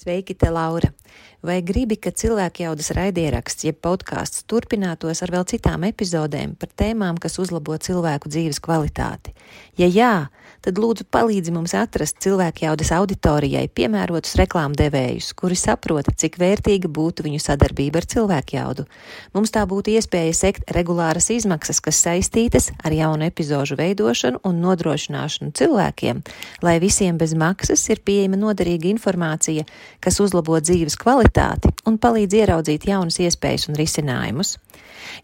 Sveiki, te Laura! Vai gribi, ka cilvēkjaudas raidieraksts, jeb podkāsts turpinātos ar vēl citām epizodēm par tēmām, kas uzlabo cilvēku dzīves kvalitāti? Ja jā, tad lūdzu palīdzi mums atrast cilvēkjaudas auditorijai piemērotus reklāmdevējus, kuri saprota, cik vērtīga būtu viņu sadarbība ar cilvēkjaudu. Mums tā būtu iespēja sekt regulāras izmaksas, kas saistītas ar jaunu epizožu veidošanu un nodrošināšanu cilvēkiem, lai visiem bez maksas ir pieejama noderīga informācija, kas uzlabo dzīves kvalitāti un palīdz ieraudzīt jaunas iespējas un risinājumus.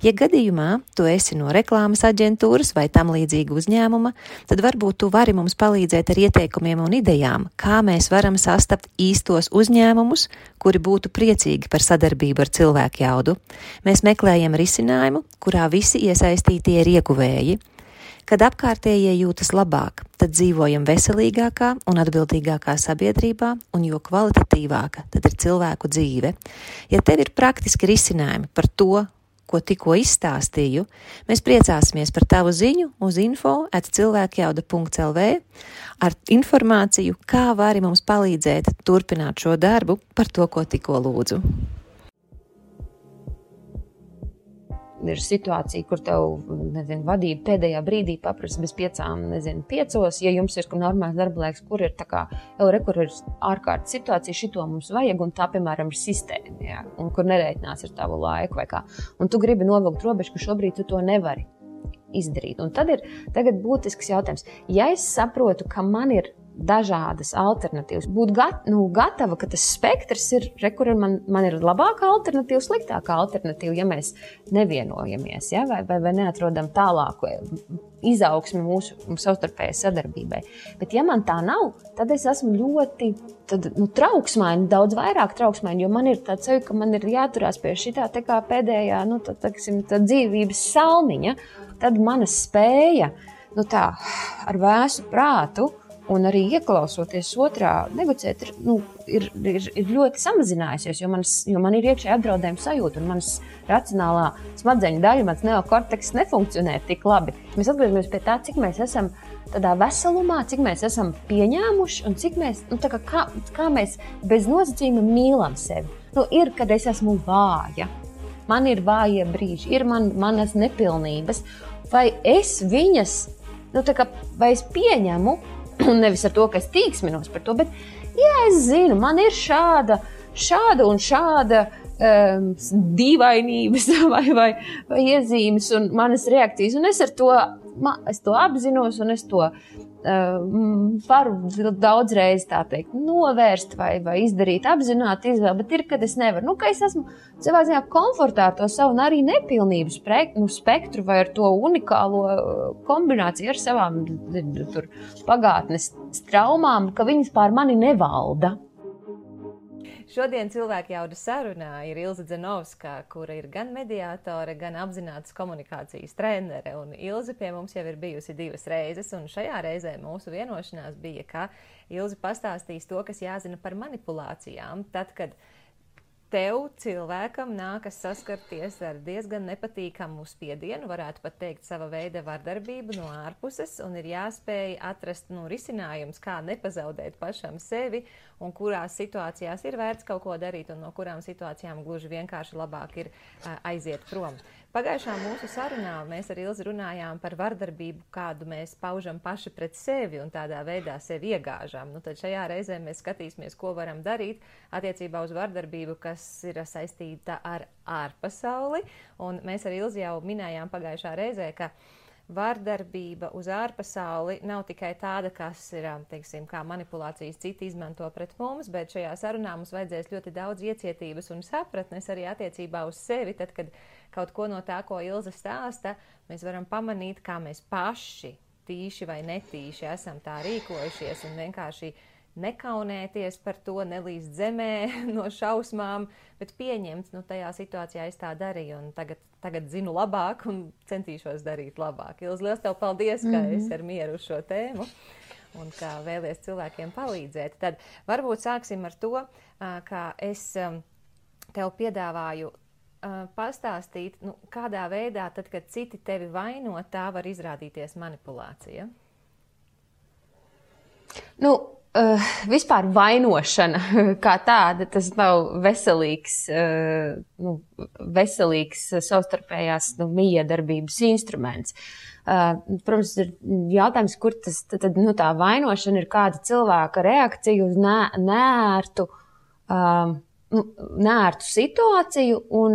Ja gadījumā tu esi no reklāmas aģentūras vai tam līdzīga uzņēmuma, tad varbūt tu vari mums palīdzēt ar ieteikumiem un idejām, kā mēs varam sastapt īstos uzņēmumus, kuri būtu priecīgi par sadarbību ar cilvēkjaudu. Mēs meklējam risinājumu, kurā visi iesaistītie ir ieguvēji. Kad apkārtējie jūtas labāk, tad dzīvojam veselīgākā un atbildīgākā sabiedrībā, un jo kvalitatīvāka tad ir cilvēku dzīve. Ja tev ir praktiski risinājumi par to, ko tikko izstāstīju, mēs priecāsimies par tavu ziņu uz info@cilvēkjauda.lv ar informāciju, kā vari mums palīdzēt turpināt šo darbu par to, ko tikko lūdzu. Ir situācija, kur tev, vadība pēdējā brīdī paprasa bez 5:05, ja jums ir normāls darba laiks, kur ir kur ir ārkārtas situācija, šito mums vajag, un tā, piemēram, ir sistēma, jā, un kur nereiķinās ar tavu laiku vai kā. Un tu gribi novilkt robežu, ka šobrīd tu to nevari izdarīt. Un tad ir tagad būtisks jautājums. Ja es saprotu, ka man ir dažādas alternatīvas, būt gatava, ka tas spektrs ir, kur man ir labāka alternatīva, sliktāka alternatīva, ja mēs nevienojamies, ja? vai neatrodam tālāku izaugsmi mūsu savstarpējai sadarbībai. Bet ja man tā nav, tad es esmu ļoti trauksmaini, daudz vairāk trauksmaini, jo man ir tāds sajūta, ka man ir jāturās pie šitā tā kā pēdējā, tā dzīvības salmiņa, tad mana spēja, ar vēsu prātu, un arī ieklausoties otrā negociēt, ir ļoti samazinājusies, jo man ir iekšēji apdraudējuma sajūta, un manas racionālā smadzeņu daļa, mans neokorteks nefunkcionē tik labi. Mēs atgriežamies pie tā, cik mēs esam tādā veselumā, cik mēs esam pieņēmuši, un cik mēs, kā mēs bez nosacījuma mīlam sevi. Ir, kad es esmu vāja, man ir vājie brīži, ir manas nepilnības, vai es viņas, vai es pieņemu, un nevis ar to, ka es tīksminos par to, bet, es zinu, man ir šāda un šāda dīvainības vai iezīmes un manas reakcijas, un es to apzinos, un es to varu daudzreiz, tā teikt, novērst vai izdarīt apzināti izvēli, bet ir, kad es nevaru. Ka es esmu savā ziņā komfortā ar to savu un arī nepilnību spektru vai ar to unikālo kombināciju ar savām pagātnes traumām, ka viņas pār mani nevalda. Šodien cilvēkjaudas sarunā ir Ilze Dzenovska, kura ir gan mediātore, gan apzinātas komunikācijas trenere. Un Ilze pie mums jau ir bijusi 2 reizes, un šajā reizē mūsu vienošanās bija, ka Ilze pastāstīs to, kas jāzina par manipulācijām, tad, kad tev, cilvēkam, nākas saskarties ar diezgan nepatīkamu spiedienu, varētu pat teikt sava veida vardarbību no ārpuses, un ir jāspēj atrast risinājums, kā nepazaudēt pašam sevi, un kurās situācijās ir vērts kaut ko darīt, un no kurām situācijām gluži vienkārši labāk ir aiziet prom. Pagājušā mūsu sarunā mēs ar Ilzi runājām par vardarbību, kādu mēs paužam paši pret sevi un tādā veidā sevi iegāžam. Tad šajā reizē mēs skatīsimies, ko varam darīt attiecībā uz vardarbību, kas ir saistīta ar ārpasauli. Un mēs ar Ilzi jau minējām pagājušā reizē, ka vardarbība uz ārpasauli nav tikai tāda, kas ir, teiksim, kā manipulācijas citi izmanto pret mums, bet šajā sarunā mums vajadzēs ļoti daudz iecietības un sapratnes arī attiecībā uz sevi, tad, kad kaut ko no tā, ko Ilze stāsta, mēs varam pamanīt, kā mēs paši, tīši vai netīši, esam tā rīkojušies un vienkārši nekaunēties par to, nelīst zemē no šausmām, bet pieņemt, tajā situācijā es tā darīju un tagad zinu labāk un centīšos darīt labāk. Ilze, liels tev paldies, ka esi ar mieru uz šo tēmu un ka vēlies cilvēkiem palīdzēt. Tad varbūt sāksim ar to, ka es tev piedāvāju pastāstīt, kādā veidā, tad, kad citi tevi vaino, tā var izrādīties manipulācija. vispār vainošana kā tāda, tas nav veselīgs savstarpējās mijiedarbības instruments. Protams, ir jautājums, kur tas tad, tā vainošana ir kāda cilvēka reakcija uz neērtu situāciju un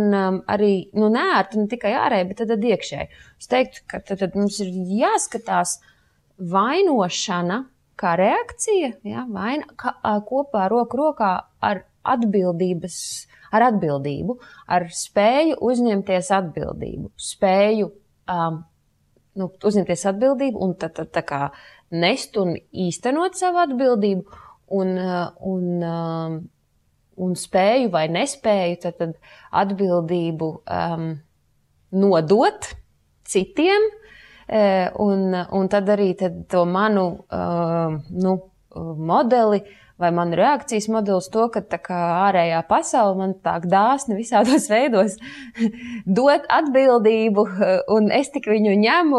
arī neērtu ne tikai ārēji, bet tad iekšēji. Es teiktu, ka tad mums ir jāskatās vainošana kā reakcija, kopā roku rokā ar atbildību, ar spēju uzņemties atbildību, uzņemties atbildību un tā kā nest un īstenot savu atbildību un spēju vai nespēju tad atbildību nodot citiem. Un tad arī to manu modeli vai manu reakcijas modeli uz to, ka tā kā ārējā pasaule man tā dāsni visādos veidos dot atbildību, un es tik viņu ņemu,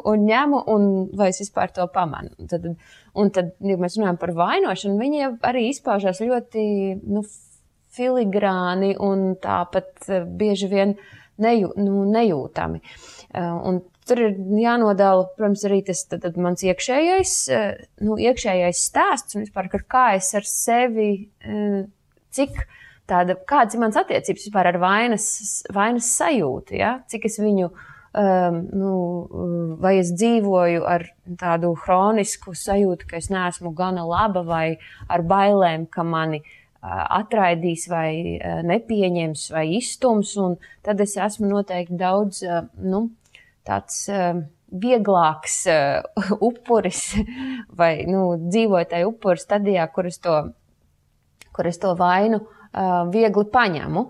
un vai es vispār to pamanu. Un tad, ja mēs runājam par vainošanu, viņi arī izpaužās ļoti filigrāni un tāpat bieži vien nejūtami. Un tur ir jānodala, protams, arī tas mans iekšējais stāsts un vispār, kā es ar sevi, kādas ir mans attiecības vispār ar vainas sajūtu, ja? Cik es viņu, vai es dzīvoju ar tādu hronisku sajūtu, ka es neesmu gana laba vai ar bailēm, ka mani atraidīs vai nepieņems vai izstums, un tad es esmu noteikti daudz, tāds vieglāks upuris vai dzīvoju tajā upuru stadijā, kur es to vainu viegli paņemu.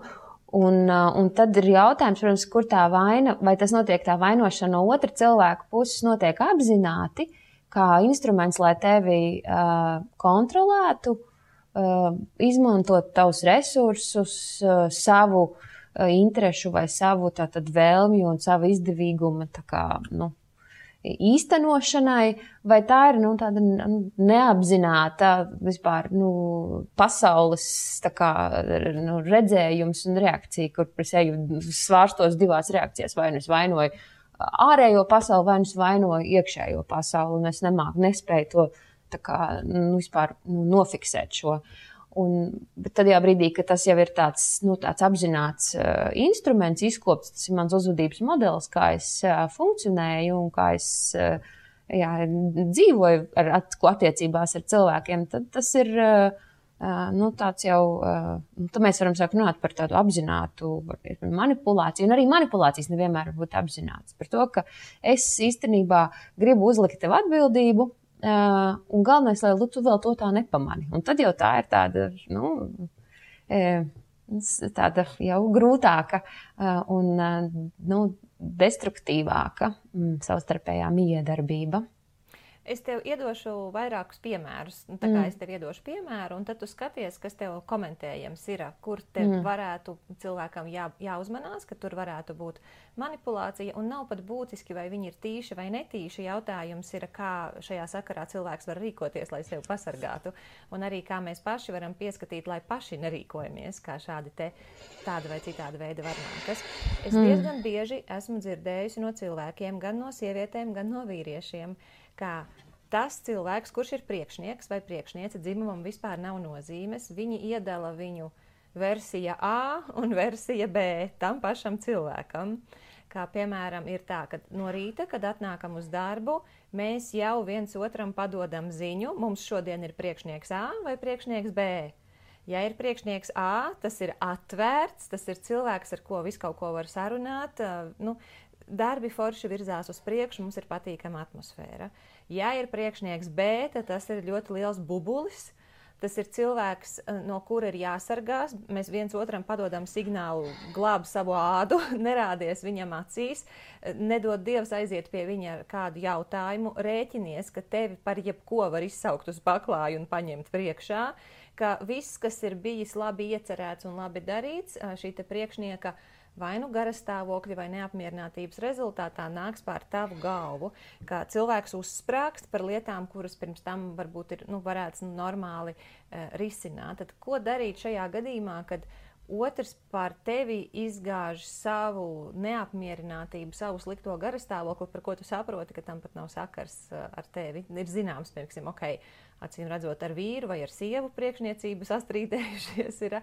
Un tad ir jautājums, protams, kur tā vaina, vai tas notiek tā vainošana no otra cilvēka puses notiek apzināti, kā instruments, lai tevi kontrolētu, izmantot tavus resursus, savu interešu vai savu tātad vēlmju un savu izdevīgumu īstenošanai, vai tā ir tāda neapzināta vispār pasaules redzējums un reakcija, kur es eju svārstos divās reakcijās, vai es vainoju ārējo pasauli, vai es vainoju iekšējo pasauli, un es nespēju to vispār nofiksēt šo. Bet tad brīdī, ka tas jau ir tāds apzināts instruments, izkopts, tas ir mans uzvedības modelis, kā es funkcionēju un kā es dzīvoju attiecībās ar cilvēkiem, tad tas ir tāds jau, tad mēs varam sākt runāt par tādu apzinātu manipulāciju, un arī manipulācijas nevienmēr var būt apzināts. Par to, ka es īstenībā gribu uzlikt tev atbildību, un galvenais, lai tu vēl to tā nepamani. Un tad jau tā ir tāda, tāda jau grūtāka un destruktīvāka savstarpējā mijiedarbība. Es tev iedošu vairākus piemērus, tā kā es tev iedošu piemēru, un tad tu skaties, kas tev komentējams ir, kur tev varētu cilvēkam jāuzmanās, ka tur varētu būt manipulācija, un nav pat būtiski, vai viņi ir tīši vai netīši. Jautājums ir, kā šajā sakarā cilvēks var rīkoties, lai sevi pasargātu, un arī kā mēs paši varam pieskatīt, lai paši nerīkojamies, kā šādi tāda vai citāda veida varnākas. Es diezgan bieži esmu dzirdējusi no cilvēkiem, gan no sievietēm, gan no vīriešiem, kā tas cilvēks, kurš ir priekšnieks vai priekšniece, dzimumam vispār nav nozīmes, viņi iedala viņu versija A un versija B tam pašam cilvēkam. Kā piemēram ir tā, ka no rīta, kad atnākam uz darbu, mēs jau viens otram padodam ziņu, mums šodien ir priekšnieks A vai priekšnieks B. Ja ir priekšnieks A, tas ir atvērts, tas ir cilvēks, ar ko visu kaut ko var sarunāt, darbi forši virzās uz priekšu, mums ir patīkama atmosfēra. Ja ir priekšnieks B, tad tas ir ļoti liels bubulis. Tas ir cilvēks, no kura ir jāsargās. Mēs viens otram padodam signālu, glāb savu ādu, nerādies viņam acīs, nedod Dievs aiziet pie viņa ar kādu jautājumu, rēķinies, ka tevi par jebko var izsaukt uz paklāju un paņemt priekšā, ka viss, kas ir bijis labi iecerēts un labi darīts, šī te priekšnieka vai nu garastāvokļa vai neapmierinātības rezultātā nāks pār tavu galvu, ka cilvēks uzsprāgst par lietām, kuras pirms tam varbūt varētu normāli risināt. Tad ko darīt šajā gadījumā, kad otrs par tevi izgāž savu neapmierinātību, savu slikto garastāvokli, par ko tu saproti, ka tam pat nav sakars ar tevi? Ir zināms, piemēram, acīm redzot ar vīru vai ar sievu priekšniecību sastrīdējušies ir,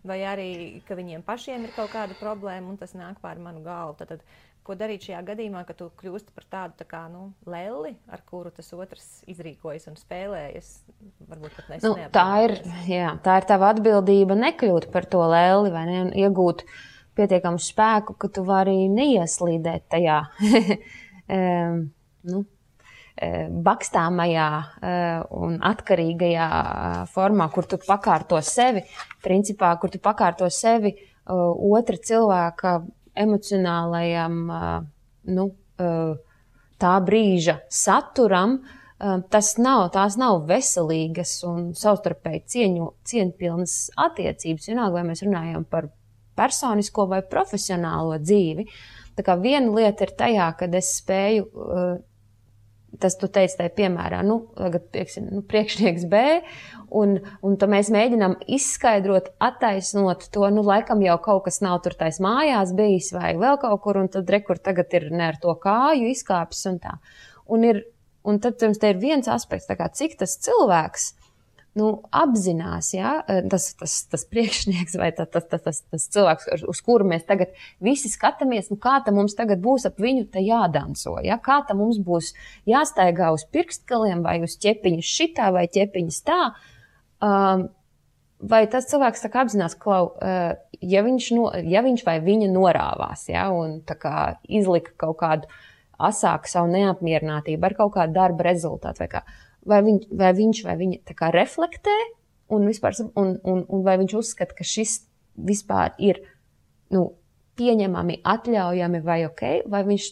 vai arī, ka viņiem pašiem ir kaut kāda problēma un tas nāk pār manu galvu. Tad, ko darīt šajā gadījumā, ka tu kļūsti par tādu tā kā, lelli, ar kuru tas otrs izrīkojas un spēlējas? Varbūt pat tā ir tava atbildība nekļūt par to lelli, vai ne, un iegūt pietiekamu spēku, ka tu vari neieslīdēt tajā bakstāmajā un atkarīgajā formā, kur tu pakārto sevi, principā, kur tu pakārto sevi otra cilvēka emocionālajam, tā brīža saturam, tās nav veselīgas un savstarpēji cieņpilnas attiecības. Vienalga, vai mēs runājam par personisko vai profesionālo dzīvi. Tā kā viena lieta ir tajā, kad es spēju, tas tu teici tajā piemērā, tagad, priekšnieks B, un tad mēs mēģinām izskaidrot, attaisnot to, laikam jau kaut kas nav tur tais mājās bijis vai vēl kaut kur, un tad rekur tagad ir ne ar to kāju izkāpis un tā. Un tad te ir viens aspekts, tā kā cik tas cilvēks, apzinās, tas priekšnieks vai tas cilvēks, uz kuru mēs tagad visi skatāmies, kā ta mums tagad būs ap viņu te jādanso, kā ta mums būs jāstaigā uz pirkstgaliem vai uz ķepiņas šitā vai ķepiņas tā, vai tas cilvēks tā kā apzinās, ja viņš vai viņa norāvās, un tā kā izlika kaut kādu asāku savu neapmierinātību ar kaut kādu darba rezultātu vai kā, vai viņš vai viņa tā kā reflektē un vai viņš uzskata, ka šis vispār ir pieņemami, atļaujami vai ok, vai viņš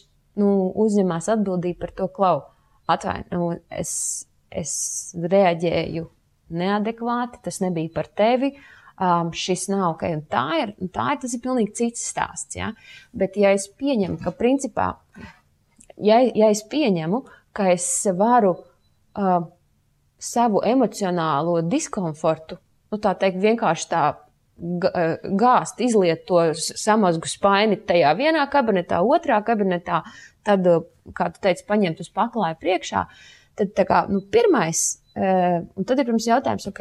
uzņemās atbildību par to, es reaģēju neadekvāti, tas nebija par tevi, šis nav ok, un tas ir pilnīgi cits stāsts, bet ja es pieņemu, ka principā, ja es pieņemu, ka es varu savu emocionālo diskomfortu, tā teikt, vienkārši tā gāzt, izliet to samazgu spaini tajā vienā kabinetā, otrā kabinetā, tad, kā tu teici, paņemt uz paklāju priekšā, tad tā kā, pirmais, un tad ir pirms jautājums, ok,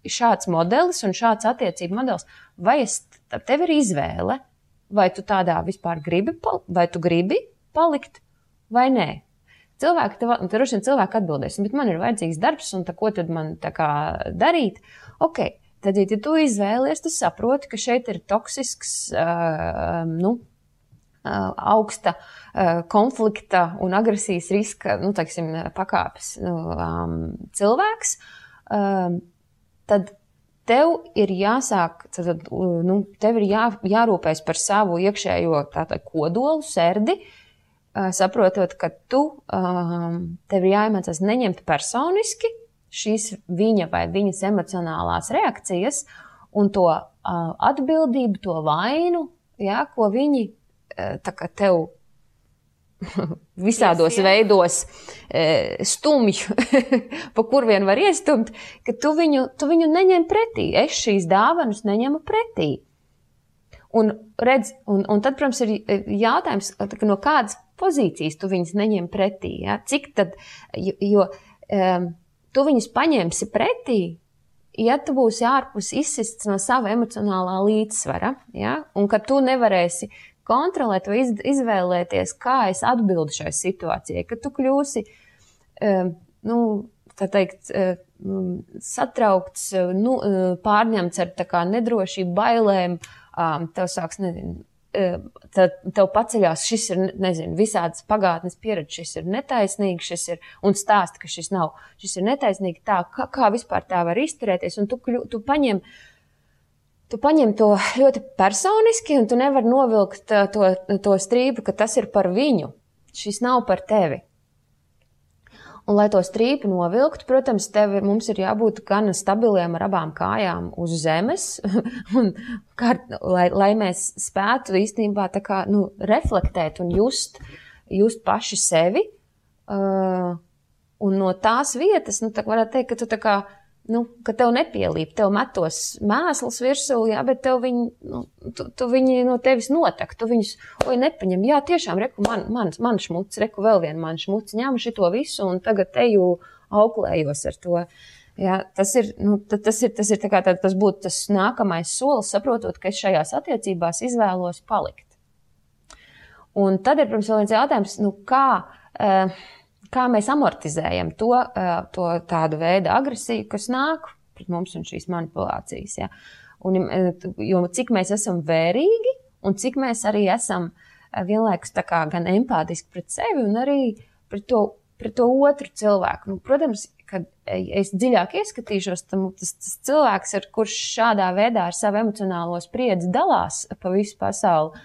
šāds modelis un šāds attiecību modelis, vai tev ir izvēle, vai tu tādā vispār gribi palikt, vai nē? Cilvēki atbildēs, bet man ir vajadzīgs darbs, un ko tad man tā kā darīt? Ok, tad, ja tu izvēlies, tu saproti, ka šeit ir toksisks, augsta konflikta un agresijas riska, pakāpes cilvēks, tad tev ir jāsāk, tev ir jārūpēs par savu iekšējo kodolu, serdi, saprotot, ka tev ir jāiemācās neņemt personiski šīs viņa vai viņas emocionālās reakcijas un to atbildību, to vainu, ko viņi tā kā tev visādos veidos stumj, pa kur vien var iestumt, ka tu viņu neņem pretī. Es šīs dāvanas neņemu pretī. Un tad, protams, ir jautājums, no kādas pozīcijas tu viņas neņem pretī. Cik tad, jo tu viņas paņemsi pretī, ja tu būsi ārpus izsists no sava emocionālā līdzsvara, un ka tu nevarēsi kontrolēt vai izvēlēties, kā es atbildu šai situācijai, ka tu kļūsi, tā teikt, satraukts, pārņemts ar tā kā nedrošību, bailēm, tev sāks, tev paceļās, šis ir, visādas pagātnes pieredze, šis ir netaisnīgi, un stāsta, ka šis ir netaisnīgi, tā, kā vispār tā var izturēties, un tu paņem to ļoti personiski, un tu nevar novilkt to strīpu, ka tas ir par viņu, šis nav par tevi. Un, lai to strīpu novilktu, protams, mums ir jābūt gan stabiliem ar abām kājām uz zemes, un lai mēs spētu īstenībā tā kā, reflektēt un just paši sevi. Un no tās vietas, tā varētu teikt, ka tu tā kā, ka tev nepielīp, tev metos mēsls virsū, jā, bet tev viņi no tevis notek, tu viņus, nepaņem, jā, tiešām, reku, man šmuts, reku vēl vien man šmuts, ņem šito visu un tagad teju auklējos ar to. Jā, tas ir tā kā tas būtu tas nākamais solis, saprotot, ka es šajās attiecībās izvēlos palikt. Un tad ir, protams, vēl viens jautājums, kā mēs amortizējam to tādu veidu agresiju, kas nāk pret mums un šīs manipulācijas. Ja? Jo cik mēs esam vērīgi un cik mēs arī esam vienlaikus tā kā gan empātiski pret sevi un arī pret to otru cilvēku. Protams, kad es dziļāk ieskatīšos, tas cilvēks, kurš šādā veidā ar savu emocionālo spriedzi dalās pa visu pasauli,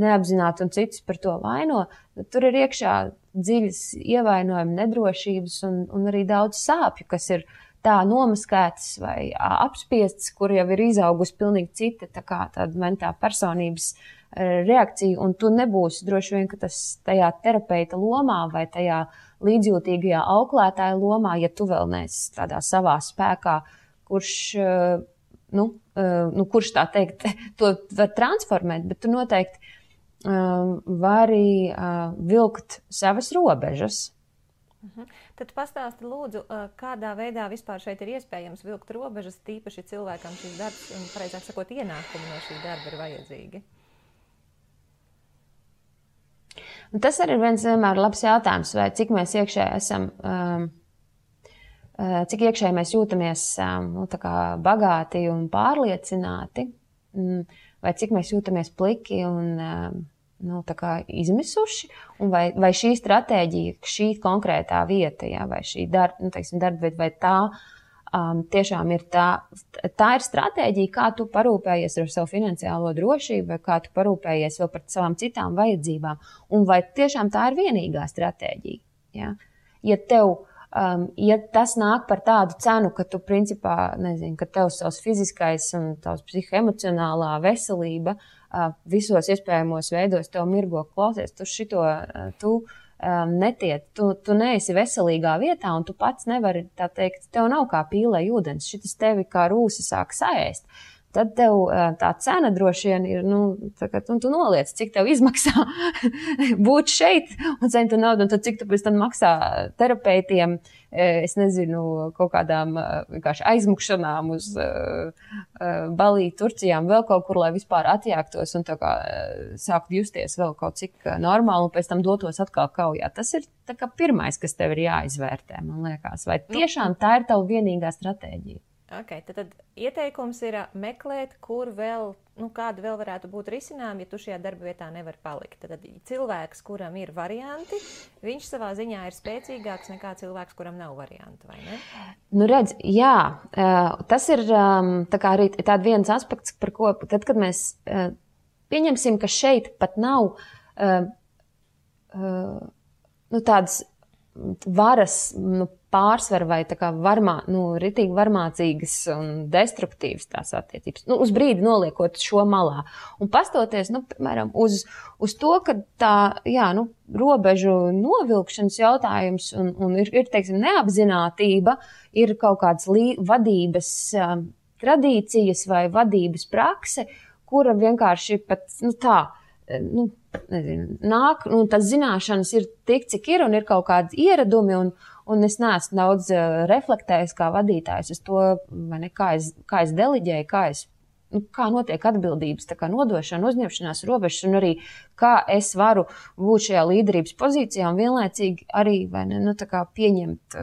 neapzināti un citus par to vaino, tur ir iekšā dziļas ievainojumi, nedrošības un arī daudz sāpju, kas ir tā nomaskētas vai apspiestas, kur jau ir izaugusi pilnīgi cita tāda personības reakcija, un tu nebūsi droši vien, ka tas tajā terapeita lomā vai tajā līdzjūtīgajā auklētāja lomā, ja tu vēl neesi tādā savā spēkā, kurš tā teikt, to var transformēt, bet tu noteikti vari vilkt savas robežas. Tad pastāsti lūdzu, kādā veidā vispār šeit ir iespējams vilkt robežas, tīpaši cilvēkam šis darbs, un pareizāk sakot, ienākumi no šī darba ir vajadzīgi. Un tas arī ir viens vienmēr labs jautājums, vai cik mēs iekšēji esam, cik iekšēji mēs jūtamies tā kā bagāti un pārliecināti, vai cik mēs jūtamies pliki un tā kā izmisuši, un vai šī stratēģija, šī konkrētā vieta, jā, vai šī darba vieta, vai tā tiešām ir tā ir stratēģija, kā tu parūpējies ar savu finansiālo drošību, vai kā tu parūpējies vēl par savām citām vajadzībām, un vai tiešām tā ir vienīgā stratēģija. Jā? Ja tas nāk par tādu cenu, ka tu principā, ka tev savs fiziskais un tavs psihoemocionālā veselība visos iespējamos veidos tev mirgo klausies, tu netiec, tu neesi veselīgā vietā un tu pats nevari, tā teikt, tev nav kā pīlē ūdens, šitas tevi kā rūsi sāk saēst. Tad tev tā cena droši vien ir, tu noliec, cik tev izmaksā būt šeit un saņemt naudu, un tad cik tu pēc tam maksā terapeitiem, es nezinu, kaut kādām vienkārši aizmukšanām uz Balī, Turcijām, vēl kaut kur, lai vispār atjāktos un tā kā sākt justies vēl kaut cik normāli un pēc tam dotos atkal kaujā. Tas ir tā kā pirmais, kas tev ir jāizvērtē, man liekas. Vai tiešām tā ir tava vienīgā stratēģija? Okay, tad ieteikums ir meklēt, kur vēl, kāda vēl varētu būt risinājumi, ja tu šajā darba vietā nevar palikt. Tad cilvēks, kuram ir varianti, viņš savā ziņā ir spēcīgāks nekā cilvēks, kuram nav variantu, vai ne? Redz, jā, tas ir tā kā arī tāda viens aspekts, par ko, tad, kad mēs pieņemsim, ka šeit pat nav tādas varas, pārsver vai tā kā ritīgi varmācīgas un destruktīvas tās attiecības. Uz brīdi noliekot šo malā. Un pastoties, piemēram, uz to, ka tā, robežu novilkšanas jautājums un ir, teiksim, neapzinātība, ir kaut kādas vadības tradīcijas vai vadības prakse, kura vienkārši pat, nāk, tas zināšanas ir tik, cik ir, un ir kaut kādi ieradumi, un es neesmu daudz reflektējis kā vadītājs uz to, vai ne, kā es deliģēju, kā notiek atbildības, tā kā nodošana, uzņemšanās robežas, un arī kā es varu būt šajā līderības pozīcijā un vienlaicīgi arī, vai ne, tā kā pieņemt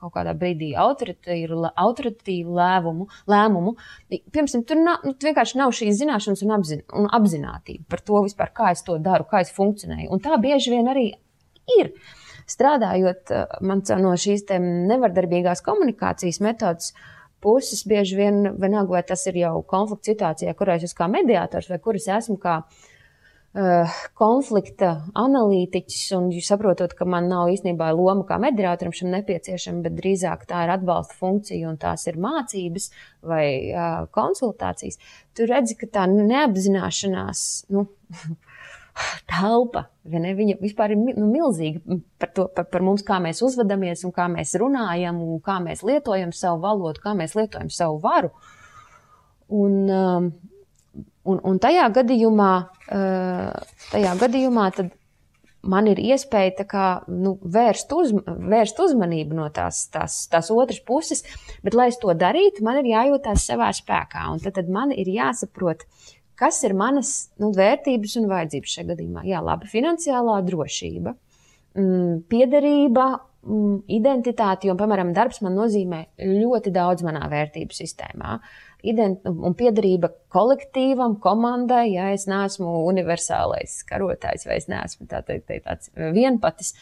kaut kādā brīdī autoritīvu lēmumu. Piemēram, tur vienkārši nav šīs zināšanas un apzinātība par to vispār, kā es to daru, kā es funkcionēju. Un tā bieži vien arī ir. Strādājot man no šīs nevardarbīgās komunikācijas metodas puses, bieži vien vienalga, vai tas ir jau konflikts situācijā, kurā es esmu kā mediātors vai kur es esmu kā konflikta analītiķis, un jūs saprotat, ka man nav īstenībā loma kā mediātoram šim nepieciešama, bet drīzāk tā ir atbalsta funkcija un tās ir mācības vai konsultācijas. Tu redzi, ka tā neapzināšanās, telpa, viņa vispār ir milzīga par mums, kā mēs uzvedamies un kā mēs runājam un kā mēs lietojam savu valodu, kā mēs lietojam savu varu. Un tajā gadījumā tad man ir iespēja vērst uzmanību no tās otras puses, bet, lai es to darītu, man ir jājūtās savā spēkā. Un tad man ir jāsaprot, kas ir manas vērtības un vajadzības šajā gadījumā. Jā, labi, finansiālā drošība, piederība, identitāte, jo, piemēram, darbs man nozīmē ļoti daudz manā vērtību sistēmā. Un piederība kolektīvam, komandai, ja es neesmu universālais karotājs vai es neesmu tāds vienpatis.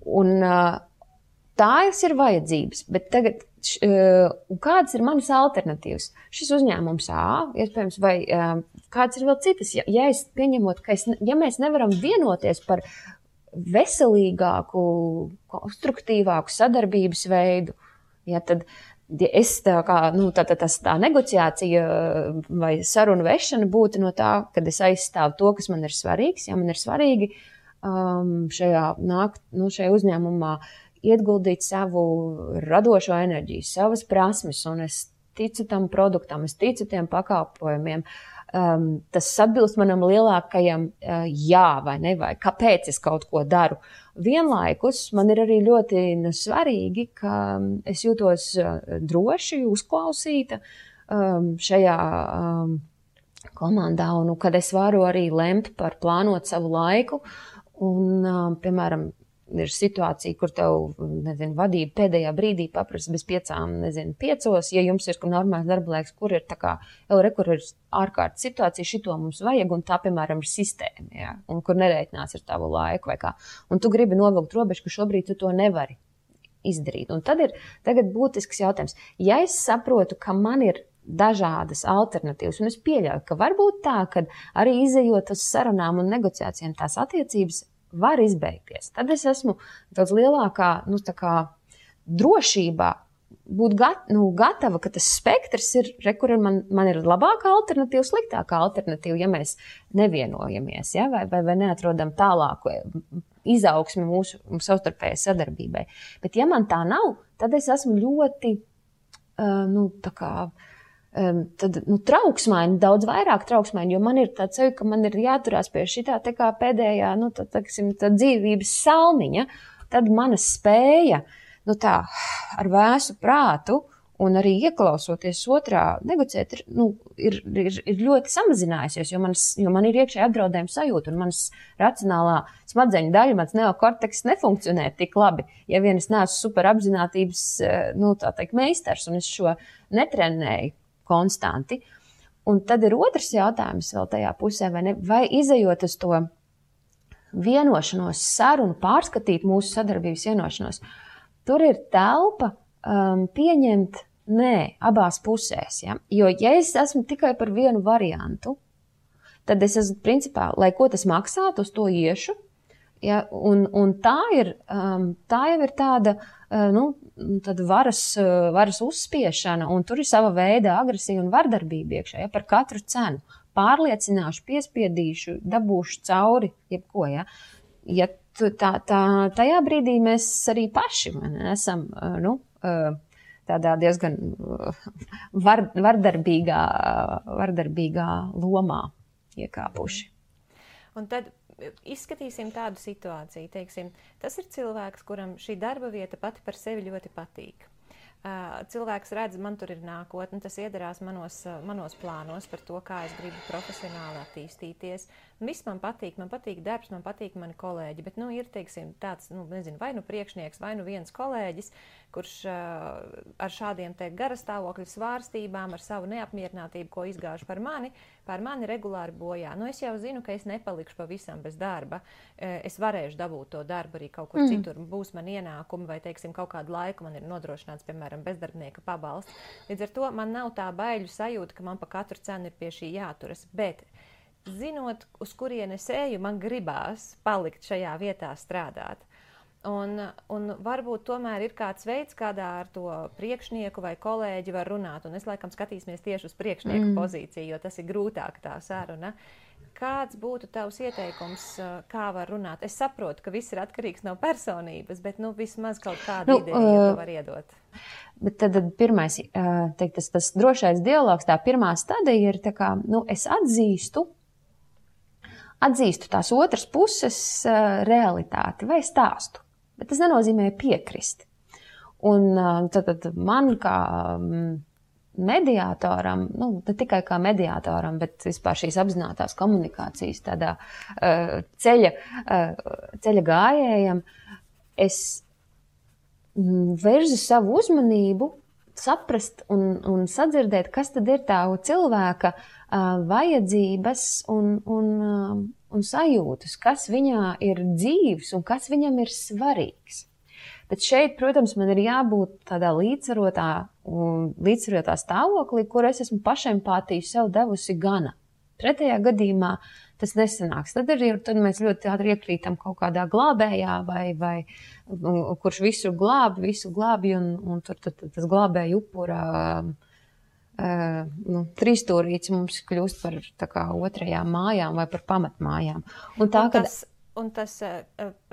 Un tās ir vajadzības, bet tagad kādas ir manas alternatīvas? Šis uzņēmums iespējams, vai kāds ir vēl citas? Ja es pieņemot, ja mēs nevaram vienoties par veselīgāku, konstruktīvāku sadarbības veidu, tad es tā negociācija vai sarunu vešana būtu no tā, kad es aizstāvu to, kas man ir svarīgs. Ja man ir svarīgi šajā uzņēmumā ieguldīt savu radošo enerģiju, savas prasmes, un es ticu tam produktam, es ticu tiem pakalpojumiem. Tas atbilst manam lielākajam jā vai ne, vai kāpēc es kaut ko daru. Vienlaikus man ir arī ļoti svarīgi, ka es jūtos droši, uzklausīta šajā komandā, un kad es varu arī lemt par plānot savu laiku. Un, piemēram, ir situācija, kur tev, vadība pēdējā brīdī paprasa bez 5, ja jums ir normāls darba laiks, kur ir kur ir ārkārtas situācija, šito mums vajag, un tā, piemēram, ir sistēma, ja, un kur nereiķinās ar tavu laiku vai kā. Un tu gribi novilkt robežu, ka šobrīd tu to nevari izdarīt. Un tad ir tagad būtisks jautājums. Ja es saprotu, ka man ir dažādas alternatīvas, un es pieļauju, ka varbūt tā, ka arī izejot uz sarunām un negociācijām tās attiecības var izbeigties. Tad es esmu daudz lielākā drošībā būt gatava, ka tas spektrs ir, kur man ir labākā alternatīva, sliktākā alternatīva, ja mēs nevienojamies, ja, vai neatrodam tālāku izaugsmi mūsu savstarpējai sadarbībai. Bet ja man tā nav, tad es esmu ļoti trauksmaini, daudz vairāk trauksmaini, jo man ir tāds sevi, ka man ir jāturās pie šitā tā kā pēdējā, tā dzīvības salmiņa, tad mana spēja, ar vēsu prātu un arī ieklausoties otrā negociēt, ir ļoti samazinājusies, jo man ir iekšēji apdraudējuma sajūta, un manas racionālā smadzeņu daļa, mans neokorteks nefunkcionē tik labi, ja vien es neesmu super apzinātības, meistars, un es šo netrenēju konstanti. Un tad ir otrs jautājums vēl tajā pusē, vai izejot uz to vienošanos, sarunu, pārskatīt mūsu sadarbības vienošanos, tur ir telpa pieņemt nē abās pusēs. Ja? Jo, ja es esmu tikai par vienu variantu, tad es esmu principā, lai ko tas maksātu, uz to iešu. Ja? Un tā jau ir tāda varas uzspiešana, un tur ir sava veida agresija un vardarbība iekšā, ja, par katru cenu. Pārliecināšu, piespiedīšu, dabūšu cauri, jebko, ja. Ja tajā brīdī mēs arī paši esam, tādā diezgan vardarbīgā lomā iekāpuši. Un tad izskatīsim tādu situāciju, teiksim, tas ir cilvēks, kuram šī darba vieta pati par sevi ļoti patīk. Cilvēks redz, man tur ir nākotne, tas iedarās manos plānos par to, kā es gribu profesionāli attīstīties. Viss man patīk darbs, man patīk mani kolēģi, bet, ir, teiksim, tāds, vai priekšnieks, vai viens kolēģis, kurš ar šādiem te garastāvokļu svārstībām, ar savu neapmierinātību, ko izgāž par mani regulāri bojā. Es jau zinu, ka es nepalikšu pavisam bez darba. Es varēšu dabūt to darbu arī kaut kur citur. Būs man ienākumi vai, teiksim, kaut kādu laiku man ir nodrošināts, piemēram, bezdarbnieka pabalsts. Līdz ar to man nav tā baiļu sajūta, ka man pa katru cenu ir pie šī jāturas. Bet zinot, uz kurienes eju, man gribās palikt šajā vietā strādāt. Un varbūt tomēr ir kāds veids, kādā ar to priekšnieku vai kolēģi var runāt. Un es laikam skatīsimies tieši uz priekšnieku pozīciju, jo tas ir grūtāk tā saruna. Kāds būtu tavs ieteikums, kā var runāt? Es saprotu, ka viss ir atkarīgs no personības, bet vismaz kaut kādu ideju tu var iedot. Bet tad pirmais, teikt, tas drošais dialogs, tā pirmā stadija ir tā kā, es atzīstu tās otras puses realitāti vai stāstu. Bet tas nenozīmē piekrist. Un tad man kā mediātoram, ne tikai kā mediātoram, bet vispār šīs apzinātās komunikācijas tādā ceļa gājējam, es vērzu savu uzmanību, saprast un sadzirdēt, kas tad ir tā cilvēka vajadzības un sajūtas, kas viņā ir dzīves un kas viņam ir svarīgs. Bet šeit, protams, man ir jābūt tādā līdzsvarotā stāvoklī, kur es esmu pašempātiju sev devusi gana. Pretējā gadījumā tas nesanāks. Tad mēs ļoti ātri iekrītam kaut kādā glābējā vai kurš visu glābi un tur tas glābēja upura trīsstūrīts mums kļūst par tā kā otrajām mājām vai par pamatmājām. Un tas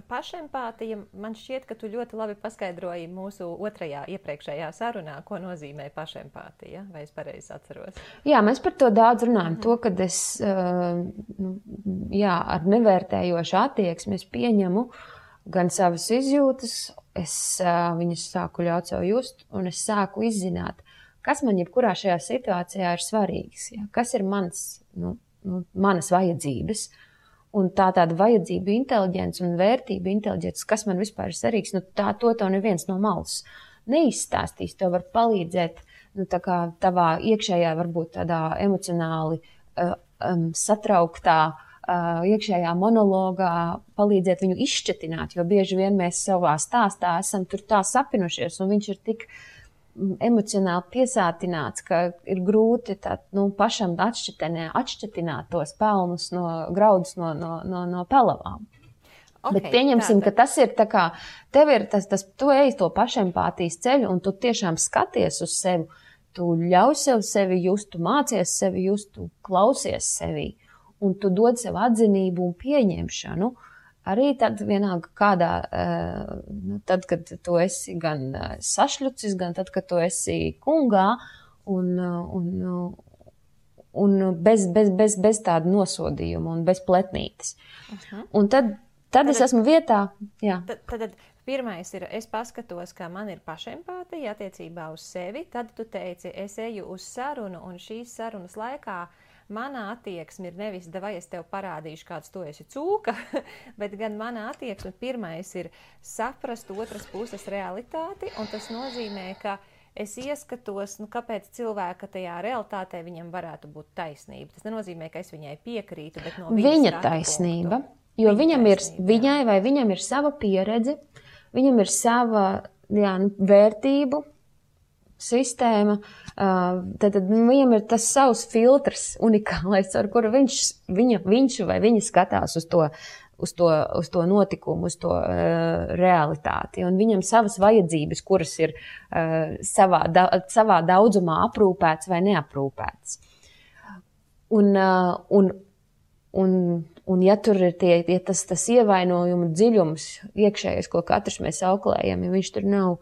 pašempātija, man šķiet, ka tu ļoti labi paskaidroji mūsu iepriekšējā sarunā, ko nozīmē pašempātija, vai es pareizi atceros? Jā, mēs par to daudz runājam. To, kad es ar nevērtējošu attieksmi es pieņemu gan savas izjūtas, es viņas sāku ļaut sev just, un es sāku izzināt, kas man jebkurā šajā situācijā ir svarīgs, kas ir manas vajadzības. Un tāda vajadzība inteliģence un vērtība inteliģence, kas man vispār ir svarīgs, to neviens no malas neizstāstīs. Tev var palīdzēt tā kā tavā iekšējā, varbūt tādā emocionāli satrauktā iekšējā monologā, palīdzēt viņu izšķetināt, jo bieži vien mēs savā stāstā esam tur tā sapinušies, un viņš ir tik emocionāli piesātināts, ka ir grūti pašam atšķetināt tos pelnus graudus no pelavām. Okay, bet pieņemsim, ka tas ir tā kā, tev ir tu ej to pašempātijas ceļu un tu tiešām skaties uz sevi, tu ļauj sevi just, tu mācies sevi just, tu klausies sevi un tu dod sev atzinību un pieņemšanu. Arī tad vienalga kādā, tad, kad tu esi gan sašļucis, gan tad, kad tu esi kungā un bez tāda nosodījuma un bez pletnītes. Un tad es esmu vietā. Jā. Tad pirmais ir, es paskatos, ka man ir pašempātija attiecībā uz sevi, tad tu teici, es eju uz sarunu un šīs sarunas laikā manā attieksme ir nevis, vai es tev parādīšu, kāds tu esi cūka, bet gan manā attieksme pirmais ir saprast otras puses realitāti, un tas nozīmē, ka es ieskatos, kāpēc cilvēka tajā realitātē viņam varētu būt taisnība. Tas nenozīmē, ka es viņai piekrītu, bet no viņa taisnība, jo viņam ir sava pieredze, viņam ir sava vērtību sistēma, tad viņam ir tas savs filtrs unikālais, ar kuru viņš vai viņa skatās uz to notikumu, uz to realitāti. Un viņam savas vajadzības, kuras ir savā daudzumā aprūpētas vai neaprūpētas. Un ja tur ir tas ievainojumu dziļums iekšējais, ko katrs mēs auklējam, ja viņš tur nav,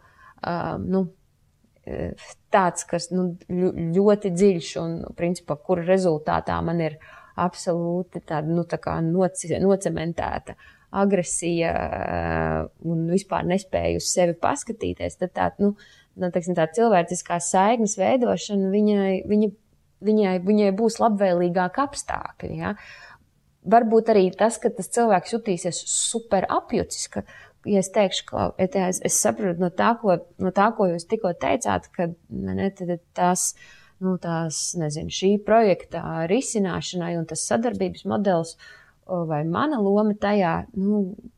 tāds, kas ļoti dziļš un, principā, kura rezultātā man ir absolūti tāda, tā kā nocementēta agresija un vispār nespēju uz sevi paskatīties, tad tā cilvēciskās saiknes veidošana viņai būs labvēlīgāk apstākļi, ja? Varbūt arī tas, ka tas cilvēks jutīsies super apjucis, ka ja es teikšu, ka es saprotu no tā, ko jūs tikko teicāt, ka šī projekta risināšanai un tas sadarbības modelis vai mana loma tajā,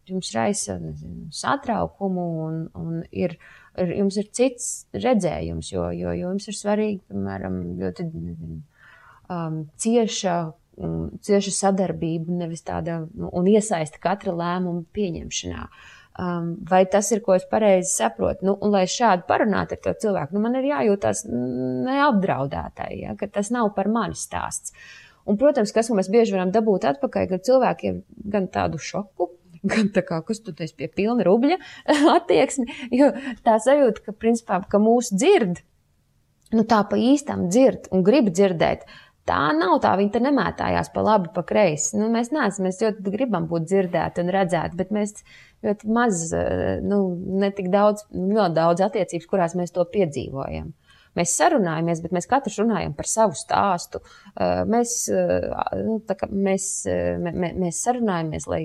jums raisa satraukumu un jums ir cits redzējums, jo jums ir svarīgi, piemēram, ļoti cieša sadarbība, nevis tāda un iesaista katra lēmuma pieņemšanā. Vai tas ir, ko es pareizi saprotu? Un lai šādi parunātu ar to cilvēku, man ir jājūtās neapdraudētai, ja, ka tas nav par mani stāsts. Un, protams, kas mēs bieži varam dabūt atpakaļ, ka cilvēkiem gan tādu šoku, gan tā kā, kas tu esi pie pilna rubļa attieksmi, jo tā sajūta, ka, principā, ka mūs dzird, tā pa īstam dzird un grib dzirdēt, tā nav tā, viņi te nemētājās pa labi, pa kreisi. Mēs neesam, mēs ļoti gribam būt dzirdēti un redzēti, bet mēs ļoti maz, netik daudz, ļoti daudz attiecības, kurās mēs to piedzīvojam. Mēs sarunājamies, bet mēs katrs runājam par savu stāstu. Mēs sarunājamies, lai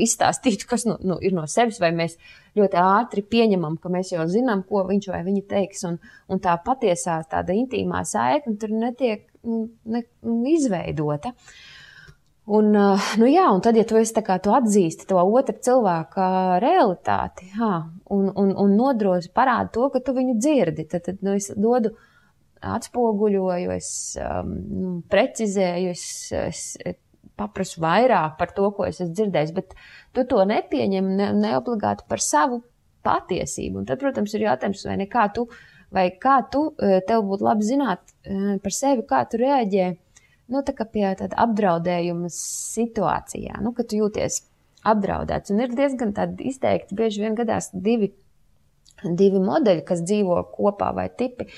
izstāstītu, kas ir no sevis, vai mēs ļoti ātri pieņemam, ka mēs jau zinām, ko viņš vai viņa teiks, un tā patiesā tāda intīmā saikne tur netiek izveidota. Un tad, ja tu esi tu atzīsti to otru cilvēka realitāti, un nodroši parādi to, ka tu viņu dzirdi, tad es dodu atspoguļoju, es precizēju, es paprasu vairāk par to, ko es esmu dzirdējis, bet tu to nepieņem neobligāti par savu patiesību. Un tad, protams, ir jautājums, vai kā tu, tev būtu labi zināt par sevi, kā tu reaģē, tā kā pie tāda apdraudējuma situācijā, kad tu jūties apdraudēts. Un ir diezgan tādi izteikti, bieži vien gadās divi modeļi, kas dzīvo kopā vai tipi,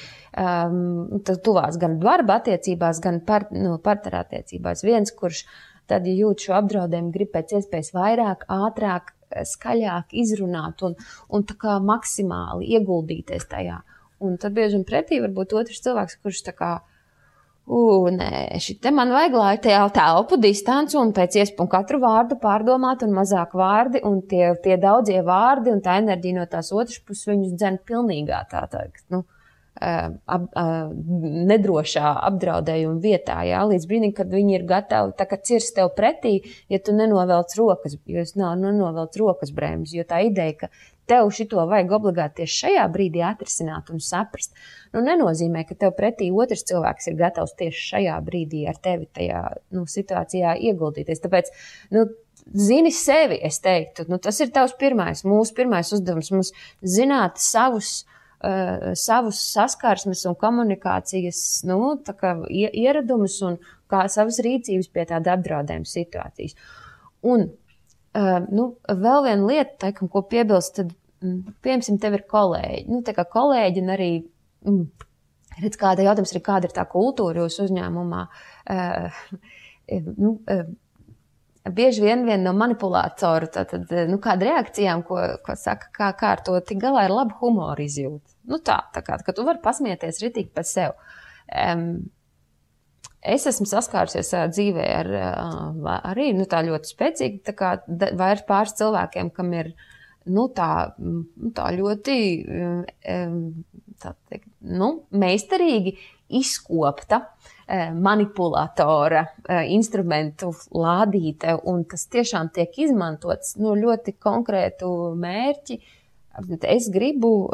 tuvās gan darba attiecībās, gan partneru attiecībās. Viens, kurš tad, ja jūt šo apdraudējumu, grib pēc iespējas vairāk, ātrāk, skaļāk izrunāt un tā kā maksimāli ieguldīties tajā. Un tad bieži un pretī varbūt otrs cilvēks, kurš tā kā nē, šite man vajag, lai telpu distanci un pēc iespējas katru vārdu pārdomāt un mazāk vārdi un tie daudzie vārdi un tā enerģija no tās otras puses viņus dzen pilnīgā nedrošā apdraudējuma vietā, jā, līdz brīdim, kad viņi ir gatavi tā kā cirst tev pretī, ja tu nenovelc rokas, jo es nenovelc rokas brēmas, jo tā ideja, ka tev šito vajag obligāti tieši šajā brīdī atrisināt un saprast, nenozīmē, ka tev pretī otrs cilvēks ir gatavs tieši šajā brīdī ar tevi tajā situācijā ieguldīties. Tāpēc, zini sevi, es teiktu, tas ir tavs mūsu pirmais uzdevums, mums zināt savus saskarsmes un komunikācijas ieradumus un kā savas rīcības pie tāda apdraudējuma situācijas. Un vēl viena lieta, ko piebilst, tad, piemēram, tev ir kolēģi. Tā kā kolēģi un arī, redz, kāda jautājums ir, kāda ir tā kultūra jūsu uzņēmumā. Bieži vien no manipulātoru, kāda reakcijām, ko saka, kā ar to tik galā ir laba humora izjūta. Tā kā, ka tu vari pasmieties ritīgi par sev. Es esmu saskārusies dzīvē arī tā ļoti spēcīgi, tā kā vairs pāris cilvēkiem, kam ir tā ļoti meistarīgi izkopta manipulatora instrumentu lādīte, un tas tiešām tiek izmantots ļoti konkrētu mērķi. Es gribu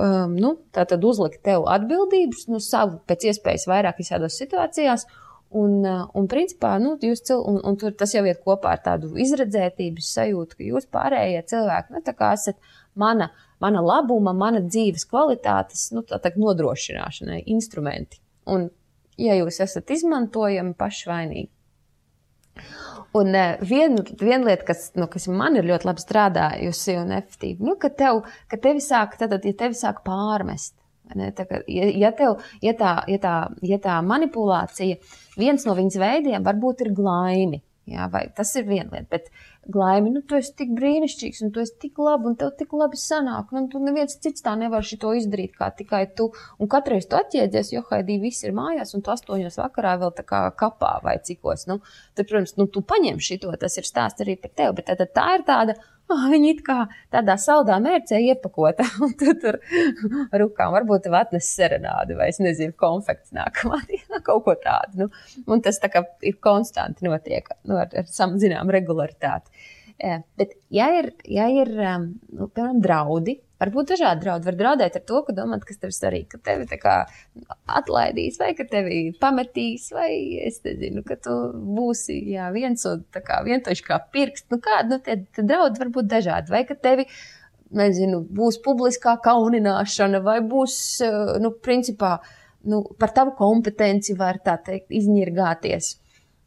tātad uzlikt tev atbildības savu pēc iespējas vairāk visādās situācijās, un principā, tur tas jau iet kopā ar tādu izredzētības sajūtu, ka jūs pārējie cilvēki, tā kā esat mana labuma, mana dzīves kvalitātes, nodrošināšanai instrumenti. Un, ja jūs esat izmantojami pašvainīgi. Un viena lieta, kas man ir ļoti labi strādājusi un efektīvi, ka tevi sāk pārmest. Ja tā manipulācija, viens no viņas veidiem varbūt ir glaimi. Jā, vai tas ir viena lieta, bet glaimi, tu esi tik brīnišķīgs, un tu esi tik labi, un tev tik labi sanāk, un tu neviens cits tā nevar šito izdarīt, kā tikai tu, un katreiz tu atjēdzies, jo haidī viss ir mājās, un tu 8 vakarā vēl tā kā kapā vai cikos, tad, protams, tu paņem šito, tas ir stāsts arī par tevi, bet tā ir tāda, viņi it kā tādā saldā mērcē iepakota, un tu tur rukām varbūt tev atnes serenādi, vai es nezinu, konfekts nākamā dienā, kaut ko tādu, un tas tā kā ir konstanti notiek, ar zinām regularitāti. Bet, ja ir piemēram, draudi Varbūt dažādi draudi. Var draudēt ar to, ka domāt, kas tev svarīgi, ka tevi tā kā atlaidīs, vai ka tevi pametīs, vai es nezinu, ka tu būsi, viens un tā kā vientoši kā pirksts. Nu kādi, tie draudi var būt dažādi. Vai ka tevi, nezinu, būs publiskā kaunināšana, vai būs, principā, par tavu kompetenci var tā teikt izņirgāties.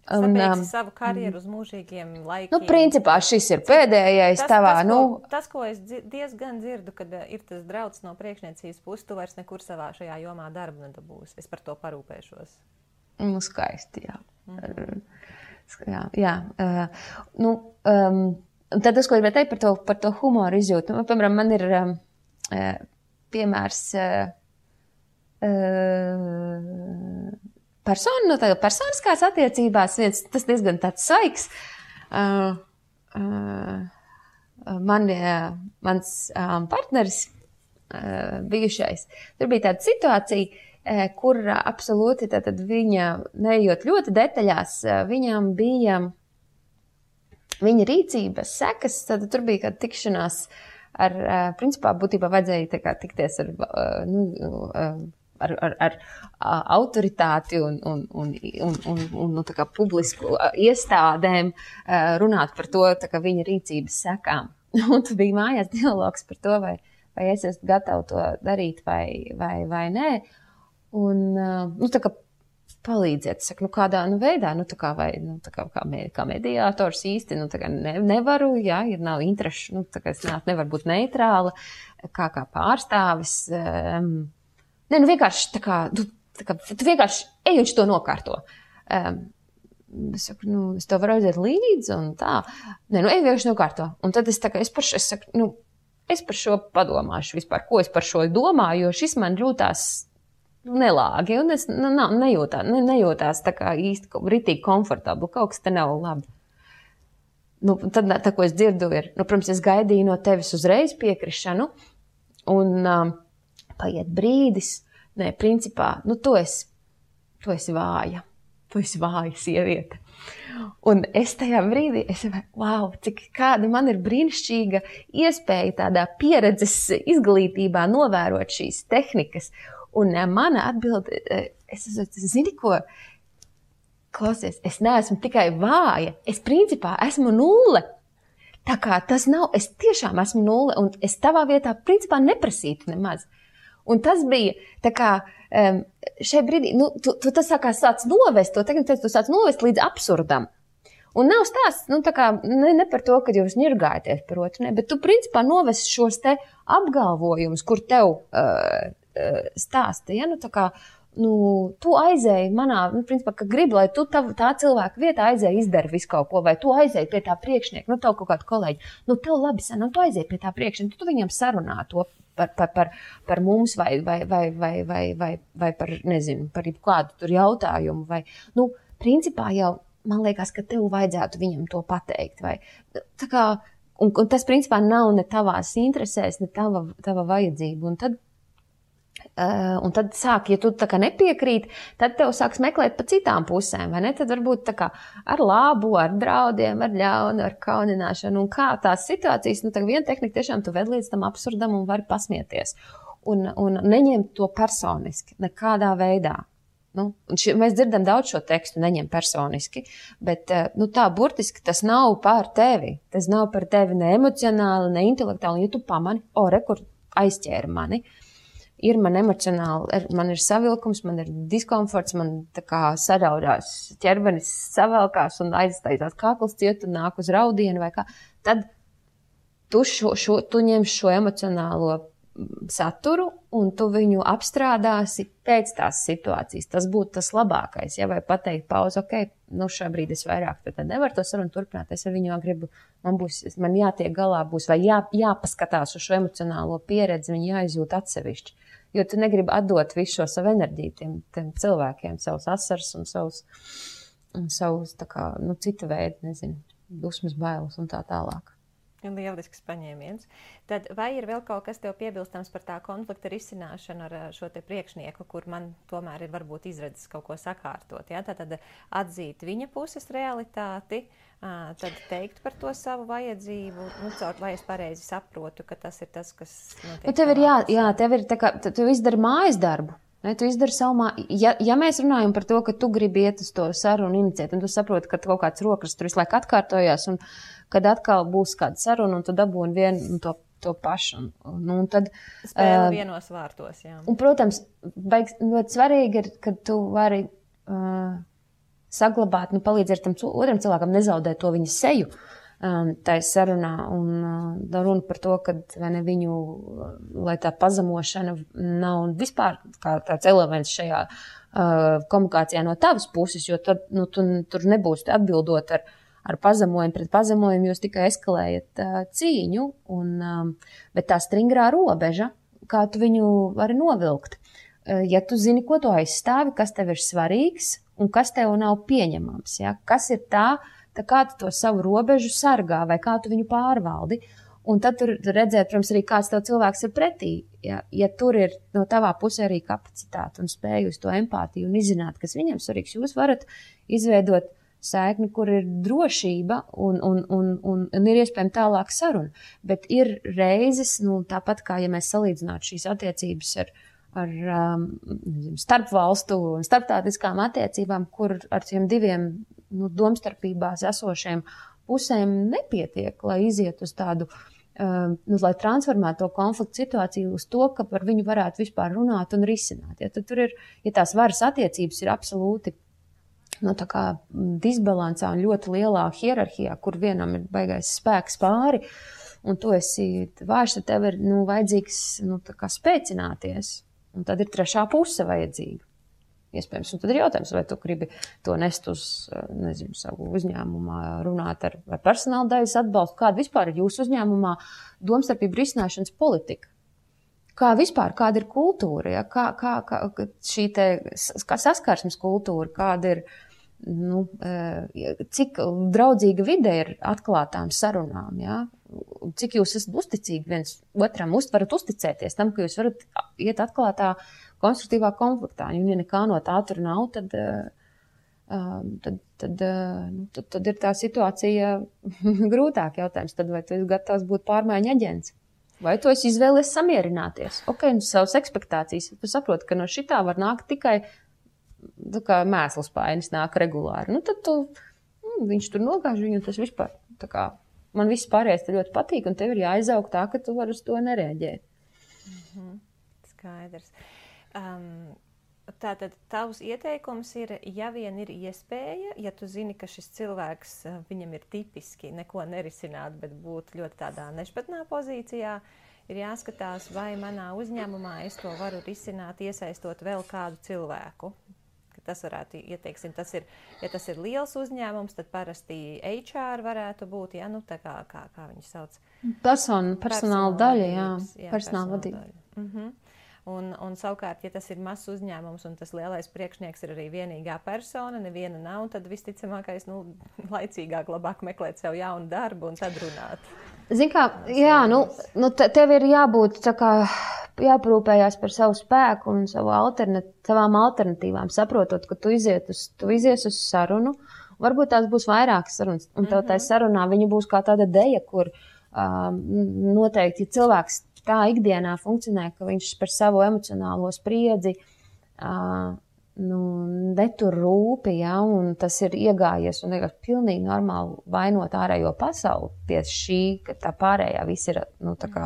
Sabeigsi savu karjeru uz mūžīgiem laikiem. Principā šis ir pēdējais tavā, Tas, ko es diezgan dzirdu, kad ir tas drauds no priekšniecības puses, tu vairs nekur savā šajā jomā darbu nedabūsi. Es par to parūpēšos. Skaisti, jā. Jā. Tad tas, ko gribēju teikt par to humoru izjūtu. Piemēram, man ir piemērs personiskās attiecībās, tas diezgan tāds saiks. Mans partneris bijušais, tur bija tāda situācija, kur absolūti tātad viņa, neejot ļoti detaļās, viņam bija viņa rīcības sekas, tad tur bija kāda tikšanās ar, principā, būtībā vajadzēja tā kā tikties ar autoritāti un tā kā publisku iestādēm runāt par to, tā kā viņa rīcības sekām. Un tu bija mājās dialogs par to, vai es esmu gatava to darīt vai nē. Un, tā kā palīdziet, saku, kādā veidā, kā mediātors īsti, tā kā nevaru, ir nav interešu, tā kā es nevaru būt neitrāla, kā pārstāvis. Vienkārši tā kā, tu vienkārši ej un to nokārto. Es saku, es tev varu aiziet līdzi un tā. Ej vienkārši nokārto. Un tad es par šo padomāšu vispār, ko es par šo domāju, jo šis man jūtās nelāgi, un es nejūtās tā kā īsti ritīgi komfortabli, kaut kas te nav labi. Tad tā, ko es dzirdu, ir, protams, es gaidīju no tevis uzreiz piekrišanu, un paiet brīdis, principā, tu esi vāja. Tu esi vāja sieviete. Un es tajā brīdī, wow, kāda man ir brīnišķīga iespēja tādā pieredzes izglītībā novērot šīs tehnikas. Un mana atbilde, zini ko, klausies, es neesmu tikai vāja, es principā esmu nulle. Tā kā tas nav, es tiešām esmu nulle, un es tavā vietā principā neprasītu nemaz. Un tas bija tā kā šai brīdī, tu tas sāc novest, tu sāc novest līdz absurdam. Un nav stāsts, tā kā ne par to, ka jūs ņirgājaties par otru, bet tu principā novest šos te apgalvojumus, kur tev stāsta, tā kā, tu aizēji manā, principā, ka gribi, lai tu tā cilvēka vietā aizēji izdara visu kaut ko, vai tu aizēji pie tā priekšnieka, tev kaut kādu kolēģi, tev labi san, tu aizēji pie tā priekšnieka, tu viņam sarunā to par mums vai par, nezinu, par kādu tur jautājumu, vai, principā jau, man liekas, ka tev vajadzētu viņam to pateikt, vai, tā kā, un tas, principā, nav ne tavās interesēs, ne tava vajadzība, un tad sāk, ja tu tā kā nepiekrīt, tad tev sāks meklēt pa citām pusēm, vai ne? Tad varbūt tā kā ar labu, ar draudiem, ar ļaunu, ar kaunināšanu, un kā tās situācijas, tā viena tehnika tiešām tu ved līdz tam absurdam un vari pasmieties. Un neņemt to personiski, nekādā veidā. Mēs dzirdam daudz šo tekstu, neņem personiski, bet tā burtiski tas nav par tevi. Tas nav par tevi ne emocionāli, ne intelektuāli. Ja tu pamani, kur aizķēra mani, ir man emocionāli, man ir savilkums, man ir diskomforts, man tā kā saraudās ķermenis savelkās un aiztaisās kākls ciet un nāk uz raudienu vai kā, tad tu ņemsi šo emocionālo saturu un tu viņu apstrādāsi pēc tās situācijas. Tas būtu tas labākais, vai pateikt pauzi, šobrīd es vairāk tad nevaru to sarunu turpināt, es ar viņu gribu, man jātiek galā būs, vai jāpaskatās uz šo emocionālo pieredzi, viņu jāizjūt atsevišķi. Jo tu negribi atdot visu šo savu enerģiju tiem cilvēkiem, savus asars un savus tā kā, cita veida, nezinu, dusmas, bailes un tā tālāk. Lielisks paņēmiens. Tad vai ir vēl kaut kas tev piebilstams par tā konflikta risināšanu ar šo te priekšnieku, kur man tomēr ir varbūt izredzes kaut ko sakārtot? Ja? Tad atzīt viņa puses realitāti, tad teikt par to savu vajadzību, lai es pareizi saprotu, ka tas ir tas, kas notiek. Tev ir tev ir tā kā, tu izdari mājas darbu. Ne, tu izdari savu ja mēs runājam par to, ka tu gribi iet uz to sarunu iniciēt, un tu saproti, ka kaut kāds rokas tur visu laiku atkārtojās, un kad atkal būs kāda saruna, un tu dabūni vienu to pašu. Un tad, spēle vienos vārtos, jā. Un, protams, ļoti svarīgi ir, ka tu vari saglabāt, palīdzēt tam otram cilvēkam nezaudēt to viņa seju. Tā ir sarunā, un runa par to, ka viņu, lai tā pazemošana nav vispār kā tāds elements šajā komunikācijā no tavas puses, jo tad tur nebūs atbildot ar pazemojumu pret pazemojumu, jūs tikai eskalējat cīņu, bet tā stringrā robeža, kā tu viņu vari novilkt. Ja tu zini, ko tu aizstāvi, kas tev ir svarīgs un kas tev nav pieņemams, ja? Kas ir tā kā tu to savu robežu sargā vai kā tu viņu pārvaldi. Un tad tur redzēt, protams, arī kāds tev cilvēks ir pretī. Ja tur ir no tavā pusē arī kapacitāte un spēja uz to empātiju un izzināt, kas viņam svarīgs, jūs varat izveidot saikni, kur ir drošība un ir iespējama tālāk saruna. Bet ir reizes, tāpat kā ja mēs salīdzinātu šīs attiecības ar starpvalstu un starptautiskām attiecībām, kur ar tiem diviem domstarpībās esošiem pusēm nepietiek, lai iziet uz tādu, lai transformētu to konfliktu situāciju uz to, ka par viņu varētu vispār runāt un risināt. Ja, tad tur ir, ja tās varas attiecības ir absolūti tā kā disbalansā un ļoti lielā hierarhijā, kur vienam ir baigais spēks pāri, un tu esi vājš, tad tev ir vajadzīgs tā kā spēcināties. Un tad ir trešā puse vajadzīga. Iespējams, un tad ir jautājums, vai tu gribi to nest uz, savu uzņēmumā, runāt ar personāla daļas atbalstu, kāda vispār ir jūsu uzņēmumā domstarpību risināšanas politika. Kāda ir kultūra, ja? Kā šī kā saskarsmes kultūra, kāda ir, cik draudzīga vide ir atklātām sarunām, ja? Cik jūs esat uzticīgi viens otram, varat uzticēties tam, ka jūs varat iet atklātā konstruktīvā konfliktā. Un ja nekā no tā tur nav, tad ir tā situācija grūtāk jautājums. Tad vai tu esi gatavs būt pārmaiņu aģents? Vai tu esi izvēlies samierināties? Savas ekspektācijas. Tu saproti, ka no šitā var nākt tikai mēsls painis nāk regulāri. Tad viņš tur nogāž viņu, un tas vispār tā kā man viss pārējais te ļoti patīk, un tev ir jāizaug tā, ka tu vari uz to nereaģēt. Skaidrs. Tātad tavs ieteikums ir, ja vien ir iespēja, ja tu zini, ka šis cilvēks, viņam ir tipiski neko nerisināt, bet būt ļoti tādā nešpatnā pozīcijā, ir jāskatās, vai manā uzņēmumā es to varu risināt, iesaistot vēl kādu cilvēku. Tas varētu, ja tas ir liels uzņēmums, tad parasti HR varētu būt, ja, tā kā viņi sauc. Personāla daļa, jā. Personāla vadība. Un savukārt, ja tas ir mazs uzņēmums un tas lielais priekšnieks ir arī vienīgā persona, neviena nav, tad visticamākais, laicīgāk labāk meklēt sev jaunu darbu un tad runāt. Zini kā, jā, tev ir jābūt tā kā jāprūpējās par savu spēku un savām alternatīvām, saprotot, ka tu izies uz sarunu, varbūt tās būs vairākas sarunas, un tev tā sarunā viņa būs kā tāda deja, kur noteikti, ja cilvēks tā ikdienā funkcionē, ka viņš par savu emocionālo spriedzi netur rūpi, ja, un tas ir iegājies un vienkārši pilnīgi normāli vainot ārējo pasauli pie šī, ka tā pārējā viss ir tā kā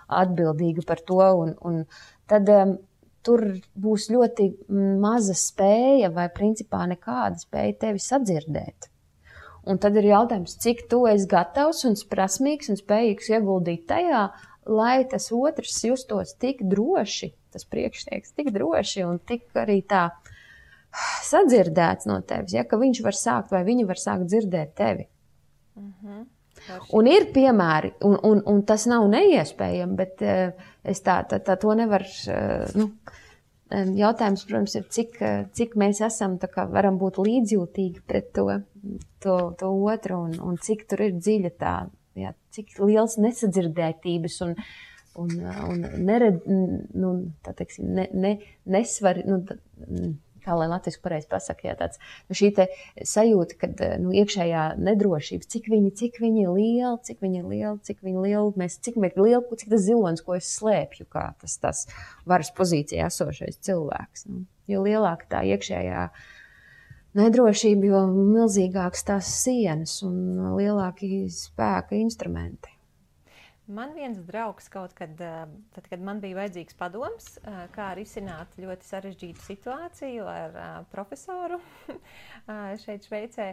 atbildīga par to, un tad tur būs ļoti maza spēja vai principā nekāda spēja tevi sadzirdēt. Un tad ir jautājums, cik tu esi gatavs un prasmīgs un spējīgs ieguldīt tajā, lai tas otrs justos tik droši, tas priekšnieks tik droši un tik arī tā sadzirdēts no tevis, ja, ka viņš var sākt vai viņa var sākt dzirdēt tevi. Un ir piemēri, un tas nav neiespējami, bet es tā to nevaru, jautājums, protams, ir, cik mēs esam, tā kā varam būt līdzjūtīgi pret to otru, un cik tur ir dziļa cik liels nesadzirdētības un nered, tā teiksim, nesvar, kā lai latviski pareizi pasaka, tāds, šī te sajūta, kad iekšējā nedrošības, cik viņi ir lieli, cik tas zilonis, ko es slēpju, kā tas varas pozīcijā esošais cilvēks. Jo lielāka tā iekšējā nedrošība, jo milzīgāks tās sienas un lielāki spēka instrumenti. Man viens draugs kaut kad, kad man bija vajadzīgs padoms, kā risināt ļoti sarežģītu situāciju ar profesoru šeit Šveicē,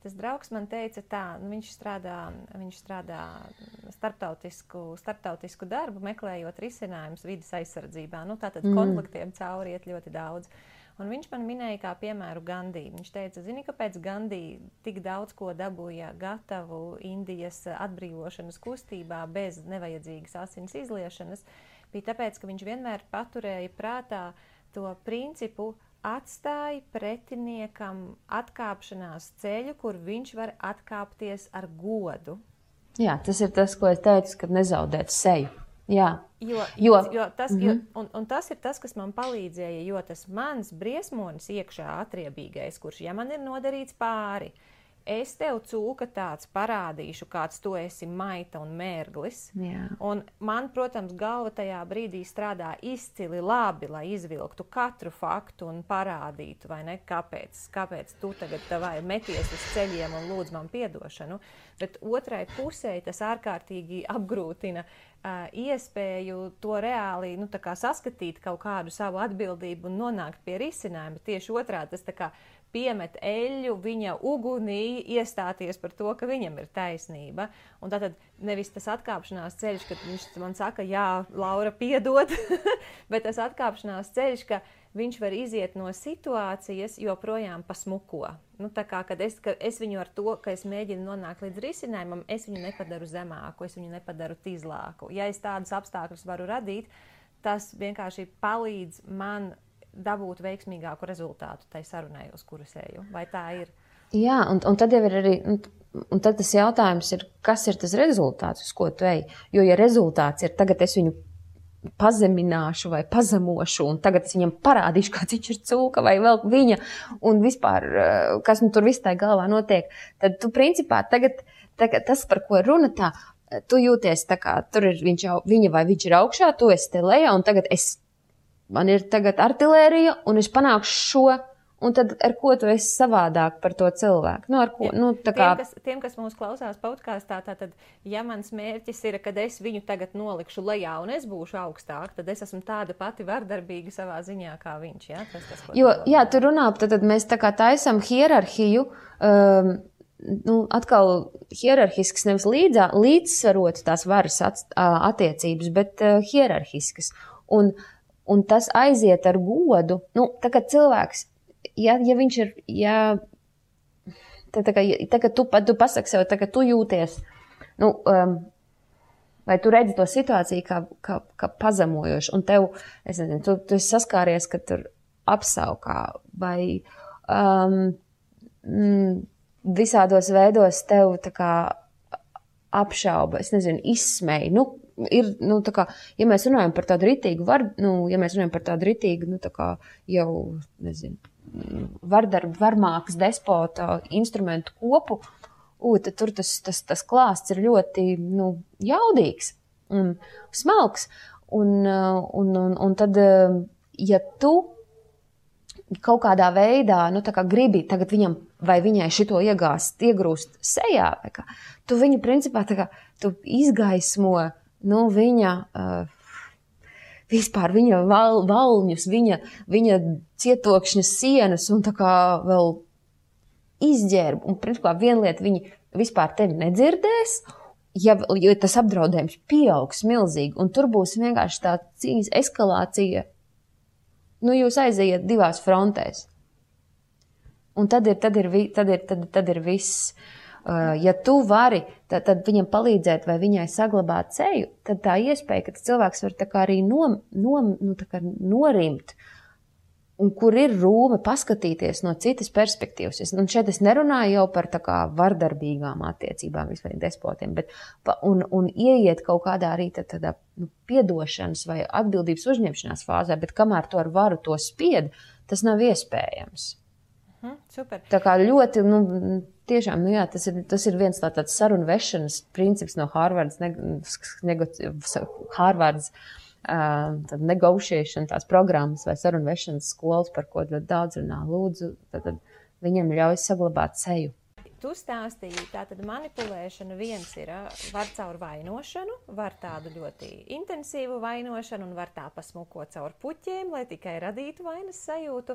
tas draugs man teica tā, viņš strādā starptautisku darbu, meklējot risinājumus vides aizsardzībā. Tātad konfliktiem cauri iet ļoti daudz. Un viņš man minēja kā piemēru Gandī. Viņš teica, zini, kāpēc Gandī tik daudz ko dabūja gatavu Indijas atbrīvošanas kustībā bez nevajadzīgas asins izliešanas, bija tāpēc, ka viņš vienmēr paturēja prātā to principu atstāja pretiniekam atkāpšanās ceļu, kur viņš var atkāpties ar godu. Jā, tas ir tas, ko es teicu, kad nezaudēt seju. Jā. Tas ir tas, kas man palīdzēja, jo tas mans briesmonis iekšā atriebīgais, kurš, ja man ir nodarīts pāri, es tev cūka tāds parādīšu, kāds tu esi maita un mērglis. Jā. Un man, protams, galva tajā brīdī strādā izcili labi, lai izvilktu katru faktu un parādītu, vai ne, kāpēc tu tagad tavai meties uz ceļiem un lūdz man piedošanu. Bet otrai pusē tas ārkārtīgi apgrūtina iespēju to reāli saskatīt kaut kādu savu atbildību un nonākt pie risinājuma. Tieši otrādi tas tā kā piemet eļļu viņa ugunī, iestāties par to, ka viņam ir taisnība. Un tātad nevis tas atkāpšanās ceļš, kad viņš man saka, jā, Laura, piedod, bet tas atkāpšanās ceļš, ka viņš var iziet no situācijas, joprojām pasmuko. Tā kā, kad es viņu ar to, ka es mēģinu nonākt līdz risinājumam, es viņu nepadaru zemāku, es viņu nepadaru tīzlāku. Ja es tādus apstākļus varu radīt, tas vienkārši palīdz man dabūt veiksmīgāku rezultātu tai sarunai, uz kuras eju. Vai tā ir? Jā, un tad jau ir arī, un tad tas jautājums ir, kas ir tas rezultāts, uz ko tu ej? Jo, ja rezultāts ir, tagad es viņu pazemināšu vai pazemošu, un tagad es viņam parādīšu, kāds viņš ir cūka vai vēl viņa, un vispār, kas tur viss tā galvā notiek, tad tu principā tagad tas, par ko runa tā, tu jūties tā kā, tur ir viņa vai viņš ir augšā, tu esi te lejā, un tagad man ir tagad artilērija, un es panākšu šo, un tad ar ko tu esi savādāk par to cilvēku? Ar ko? Tiem, kas mūs klausās podkāstā, tātad, ja mans mērķis ir, kad es viņu tagad nolikšu lejā un es būšu augstāk, tad es esmu tāda pati vardarbīga savā ziņā kā viņš. Ja? Jā, tu runā, tad mēs tā kā taisam hierarhiju, atkal hierarhisks, nevis līdzsvarot tās varas attiecības, bet hierarhiskas. Un tas aiziet ar godu, tā kā cilvēks, ja viņš ir, tagad tu pasaki sev, tagad tu jūties, vai tu redzi to situāciju kā pazemojošu, un tev, es nezinu, tu esi saskāries, ka tur apsaukā, vai visādos veidos tev tā kā apšauba, es nezinu, izsmēja, ir, tā kā, ja mēs runājam par tādu ritīgu tā kā jau, nezinu, varmākas despota instrumentu kopu, tad tur tas klāsts ir ļoti, jaudīgs un smalks. Un tad, ja tu kaut kādā veidā, tā kā gribi tagad viņam vai viņai šito iegrūst sejā, vai kā, tu viņu principā tā kā, tu izgaismo, viņa, vispār viņa valņus, viņa cietokšņa sienas un tā kā vēl izģērb. Un principā viena lieta, viņi vispār tevi nedzirdēs, jo tas apdraudējums pieaugs milzīgi, un tur būs vienkārši tā cīņas eskalācija. Jūs aiziet divās frontēs. Un tad ir viss. Ja tu vari, tad viņam palīdzēt vai viņai saglabāt ceļu, tad tā iespēja, ka tas cilvēks var tā kā arī norimt, un kur ir rūme paskatīties no citas perspektīvas. Un šeit es nerunāju jau par tā kā vardarbīgām attiecībām vispār despotiem, bet un ieiet kaut kādā arī tādā piedošanas vai atbildības uzņemšanās fāzē, bet kamēr to ar varu to spied, tas nav iespējams. Super. Tā kā ļoti, tiešām, jā, tas ir viens tāds sarunu vešanas princips no Harvardas negotiation, tās programmas vai sarunu vešanas skolas, par ko ļoti daudz runā. Lūdzu, tad viņiem ļauj saglabāt seju. Tu stāstīji, tātad manipulēšana viens ir, var caur vainošanu, var tādu ļoti intensīvu vainošanu un var tā pasmukot caur puķiem, lai tikai radītu vainas sajūtu.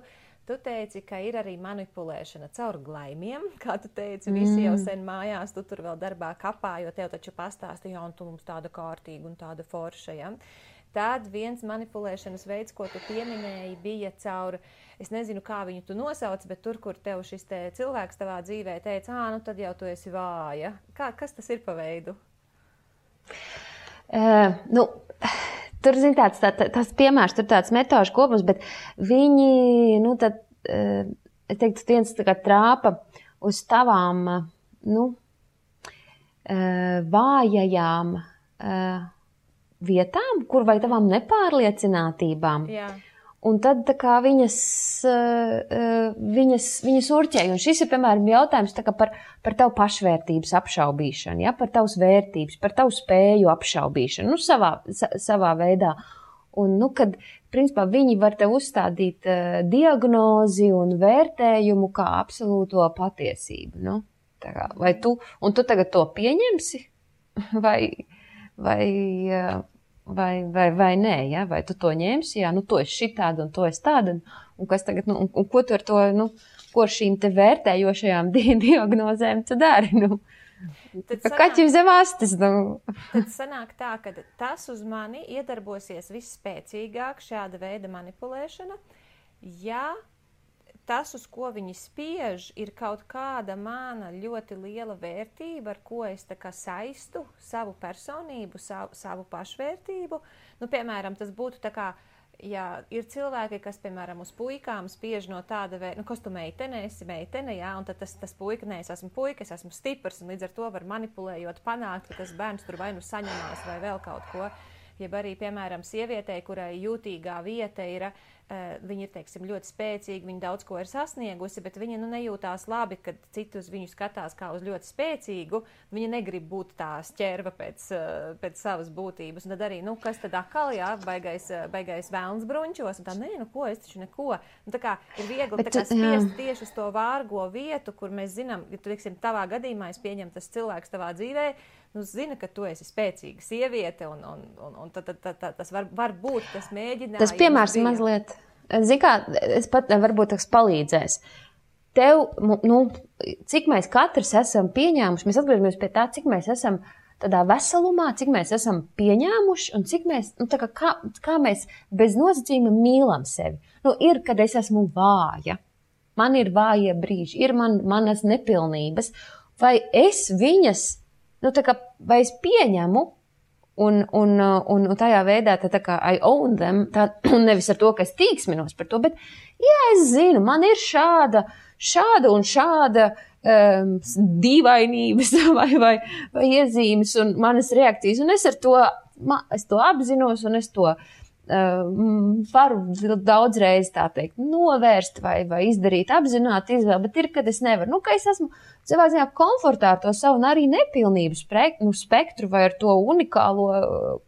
Tu teici, ka ir arī manipulēšana caur glaimiem, kā tu teici, visi jau sen mājās, tu tur vēl darbā kapā, jo tev taču pastāstīja, un tu mums tāda kārtīga un tāda forša, ja? Tad viens manipulēšanas veids, ko tu pieminēji, bija caur, es nezinu, kā viņu tu nosauc, bet tur, kur tev šis te cilvēks tavā dzīvē teica, tad jau tu esi vāja. Kas tas ir pa veidu? Tur, zin, tāds piemērs, tur tāds metāžu kopums, bet viņi, es teiktu, viens tā kā trāpa uz tavām, vājajām vietām, kur vai tavām nepārliecinātībām. Jā. Un tad tā kā viņas urķēja. Un šis ir, piemēram, jautājums tā kā par tavu pašvērtības apšaubīšanu, ja? Par tavas vērtības, par tavu spēju apšaubīšanu, savā veidā. Un, kad, principā, viņi var tev uzstādīt diagnozi un vērtējumu kā absolūto patiesību. Tā kā, un tu tagad to pieņemsi? Vai nē, ja? Vai tu to ņemsi, tu esi šitāda un to esi tāda, un kas tagad, un ko tu ar to, ko ar šīm te vērtējošajām diagnozēm tu dari, Kaķim zem astes, Tad sanāk tā, ka tas uz mani iedarbosies visspēcīgāk šāda veida manipulēšana, ja tas, uz ko viņi spiež, ir kaut kāda mana ļoti liela vērtība, ar ko es tā kā saistu savu personību, savu pašvērtību. Piemēram, tas būtu tā kā, ja ir cilvēki, kas, piemēram, uz puikām spiež no tāda veida, kas tu meitene, esi meitene, jā, un tad tas puika, nē, es esmu puika, es esmu stiprs, un līdz ar to var manipulējot panākt, ka tas bērns tur vai saņemās vai vēl kaut ko. Jeb arī, piemēram, sievietei, kurai jūtīgā vieta ir, viņa ir, teiksim, ļoti spēcīga, viņa daudz ko ir sasniegusi, bet viņa nejūtās labi, kad citi uz viņu skatās kā uz ļoti spēcīgu, viņa negrib būt tā šķerva pēc savas būtības. Un tad arī, kas tad atkal, jā, baigais vēlns bruņķos, un tā, ko, es taču neko. Un tā kā ir viegli tā kā spiest tieši uz to vārgo vietu, kur mēs zinām, ja tu, teiksim, tavā gadījumā es pieņem tas cilvēks tavā dzīvē, zina, ka tu esi spēcīga sieviete, un tas var būt tas mēģinājums. Tas piemērs mazliet, zini kā, es pat varbūt tas palīdzēs. Tev, cik mēs katrs esam pieņēmuši, mēs atgriežamies pie tā, cik mēs esam tādā veselumā, cik mēs esam pieņēmuši, un cik mēs, kā mēs bez nosacījuma mīlam sevi. Ir, kad es esmu vāja, man ir vājie brīži, ir manas nepilnības, vai es viņas, vai es pieņemu un tajā veidā tā kā I own them, un nevis ar to, ka es tīksminos par to, bet jā, es zinu, man ir šāda un šāda dīvainības vai iezīmes un manas reakcijas, un es to apzinos, un es to varu daudzreiz tā teikt novērst vai izdarīt apzināti izvēli, bet ir, kad es nevaru. Ka es esmu savā ziņā komfortā ar to savu un arī nepilnību spektru vai ar to unikālo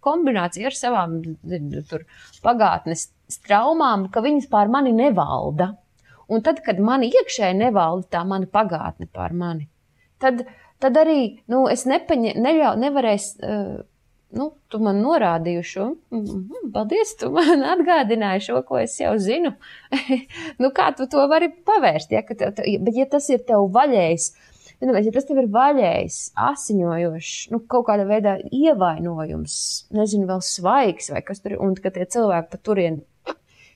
kombināciju ar savām pagātnes traumām, ka viņas pār mani nevalda. Un tad, kad mani iekšēji nevalda tā mana pagātne pār mani, tad arī, es nevarēšu, tu man norādīji šo, paldies, tu man atgādināji šo, ko es jau zinu. Kā tu to vari pavērst, ja? Bet ja tas ir tev vaļējs, ja tas tev ir vaļējs, asiņojošs, kaut kādā veidā ievainojums, nezinu, vēl svaigs vai kas tur, un ka tie cilvēki pa turien,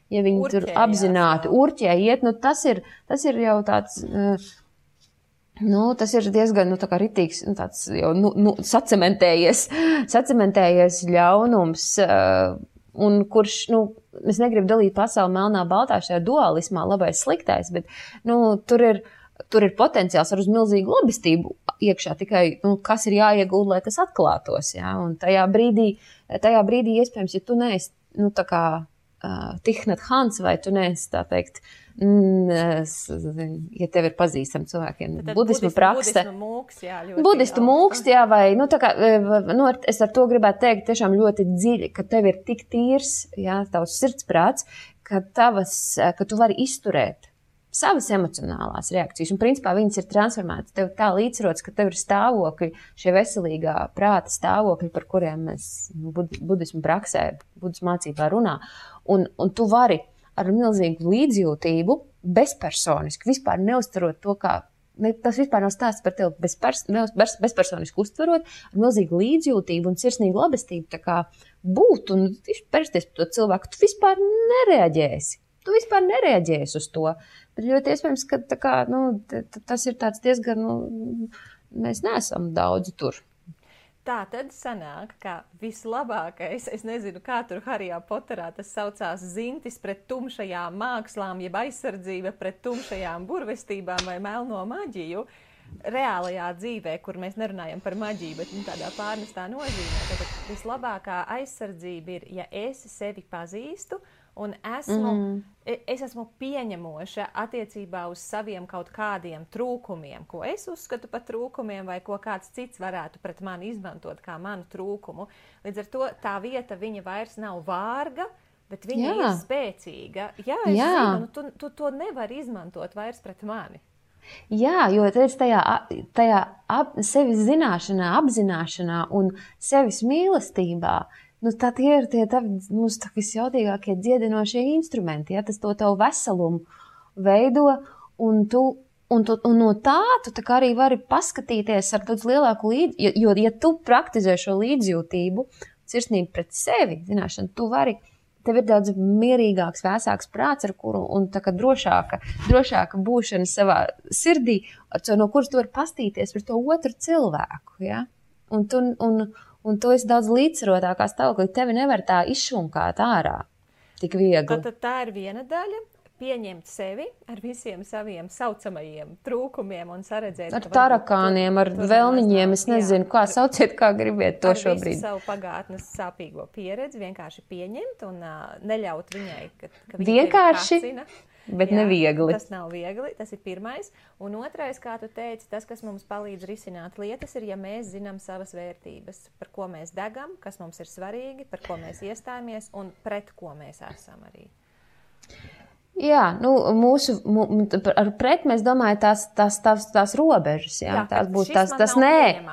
ja viņi urķējās, tur apzināti urķē iet, tas ir jau tāds... tas ir diezgan, tā kā ritīgs, tāds jau, sacementējies ļaunums, un kurš, es negribu dalīt pasauli melnā baltā šajā dualismā, labais sliktais, bet, tur ir potenciāls ar uz milzīgu lobistību iekšā, tikai, kas ir jāiegūda, lai tas atklātos, jā, un tajā brīdī iespējams, ja tu neesi, tā kā Thich Nhat Hanh, vai tu neesi, tā teikt, ja tev ir pazīstami cilvēkiem, budismu prakse. Budistu mūks, jā, vai, tā kā, es ar to gribētu teikt tiešām ļoti dziļi, ka tev ir tik tīrs, jā, tavs sirdsprāts, ka tu vari izturēt savas emocionālās reakcijas, un principā viņas ir transformētas. Tev tā līdzsvarots, ka tev ir stāvokļi, šie veselīgā prāta stāvokļi, par kuriem mēs budismu praksē, budismu mācībā runā, un tu vari ar milzīgu līdzjūtību, bezpersoniski, vispār neuztverot to, kā, tas vispār nav stāsts par tevi, bezpersoniski uztverot, ar milzīgu līdzjūtību un sirsnīgu labestību, tā kā būt un persties par to cilvēku, tu vispār nereaģēsi. Tu vispār nereaģēsi uz to. Bet ļoti iespējams, ka tā kā, tas ir tāds diezgan, mēs neesam daudz tur. Tā tad sanāk, ka vislabākais, es nezinu, kā tur Harijā Poterā tas saucās, zintis pret tumšajām mākslām, jeb aizsardzība pret tumšajām burvestībām vai melno maģiju, reālajā dzīvē, kur mēs nerunājam par maģiju, bet tādā pārnestā nozīmē. Tad vislabākā aizsardzība ir, ja es sevi pazīstu, un es esmu pieņemoša attiecībā uz saviem kaut kādiem trūkumiem, ko es uzskatu par trūkumiem, vai ko kāds cits varētu pret mani izmantot kā manu trūkumu. Līdz ar to tā vieta viņa vairs nav vārga, bet viņa ir spēcīga. Jā, es zinu, tu to nevari izmantot vairs pret mani. Jā, jo tajā sevis zināšanā, apzināšanā un sevis mīlestībā, tā tie ir tie mūsu visjautīgākie dziedinošie instrumenti, ja, tas to tavu veselumu veido, un no tā tu tā kā arī vari paskatīties ar daudz lielāku jo ja tu praktizē šo līdzjūtību, sirsnību pret sevi, zināšanu, tev ir daudz mierīgāks, vēsāks prāts, ar kuru, un tā kā drošāka būšana savā sirdī, no kuras tu vari pastīties par to otru cilvēku, ja, un tu esi daudz līdzsvarotākā stāvoklī, tevi nevar tā izšunkāt ārā tik viegli. Tad tā ir viena daļa, pieņemt sevi ar visiem saviem saucamajiem trūkumiem un saredzēt. Ar tarakāniem, ar vēlniņiem, es nezinu, kā sauciet, kā gribiet to šobrīd. Ar visu savu pagātnes sāpīgo pieredzi vienkārši pieņemt un neļaut viņai, ka viņa vienkārši, tevi kacina. Bet neviegli. Tas nav viegli, tas ir pirmais. Un otrais, kā tu teici, tas, kas mums palīdz risināt lietas, ir, ja mēs zinām savas vērtības, par ko mēs degam, kas mums ir svarīgi, par ko mēs iestājamies un pret ko mēs esam arī. Jā, ar pret mēs domājam tās robežas, jā, tās būs tas nē,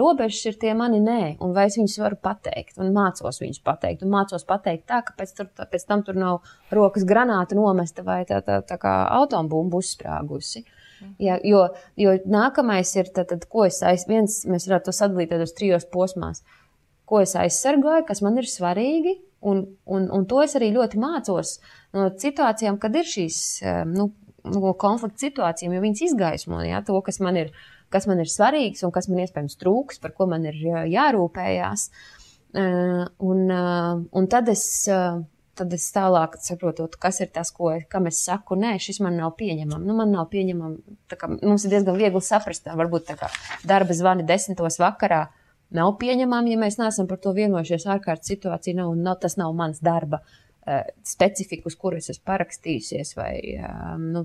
robežas ir tie mani nē, un vai es viņus varu pateikt, un mācos viņus pateikt, un mācos pateikt tā, ka pēc tam tur nav rokas granāta nomesta vai tā kā atombumba uzsprāgusi. Jā, jo nākamais ir, tad ko mēs varētu to sadalīt uz 3 posmās, ko es aizsargāju, kas man ir svarīgi, un to es arī ļoti mācos no situācijām, kad ir šīs konflikta situācijām, jo viņas izgaismo, jā, to, kas man ir svarīgs un kas man iespējams trūks, par ko man ir jārūpējās. Un tad es tālāk saprotot, kas ir tas, kam es saku, nē, šis man nav pieņemam. Man nav pieņemam, tā kā mums ir diezgan viegli saprast, varbūt tā kā darba zvani 10 vakarā, nav pieņemami, ja mēs neesam par to vienojušies, ārkārtas situācija tas nav mans darba specifika, uz kuru es esmu parakstījusies, vai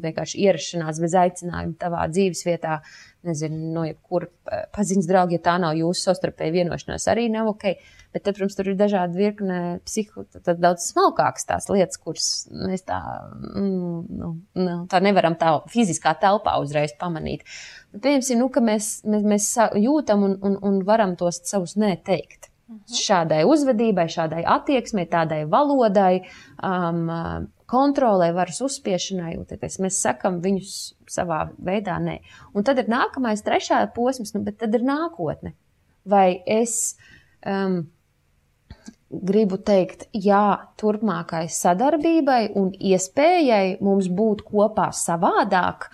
vienkārši ierašanās bez aicinājuma tavā dzīves vietā, nezinu, no jebkura paziņas draugi, ja tā nav jūsu savstarpēja vienošanās, arī nav ok. Bet tad, protams, tur ir dažādi virkne tad daudz smalkākas tās lietas, kuras mēs tā nevaram tā fiziskā telpā uzreiz pamanīt. Bet pieņemsim, ka mēs jūtam un varam tos savus nē teikt. Šādai uzvedībai, šādai attieksmei, tādai valodai, kontrolē, varas uzspiešanai, mēs sakam viņus savā veidā nē. Un tad ir nākamais, 3. posms, bet tad ir nākotne. Vai es gribu teikt jā turpmākai sadarbībai un iespējai mums būt kopā savādāk,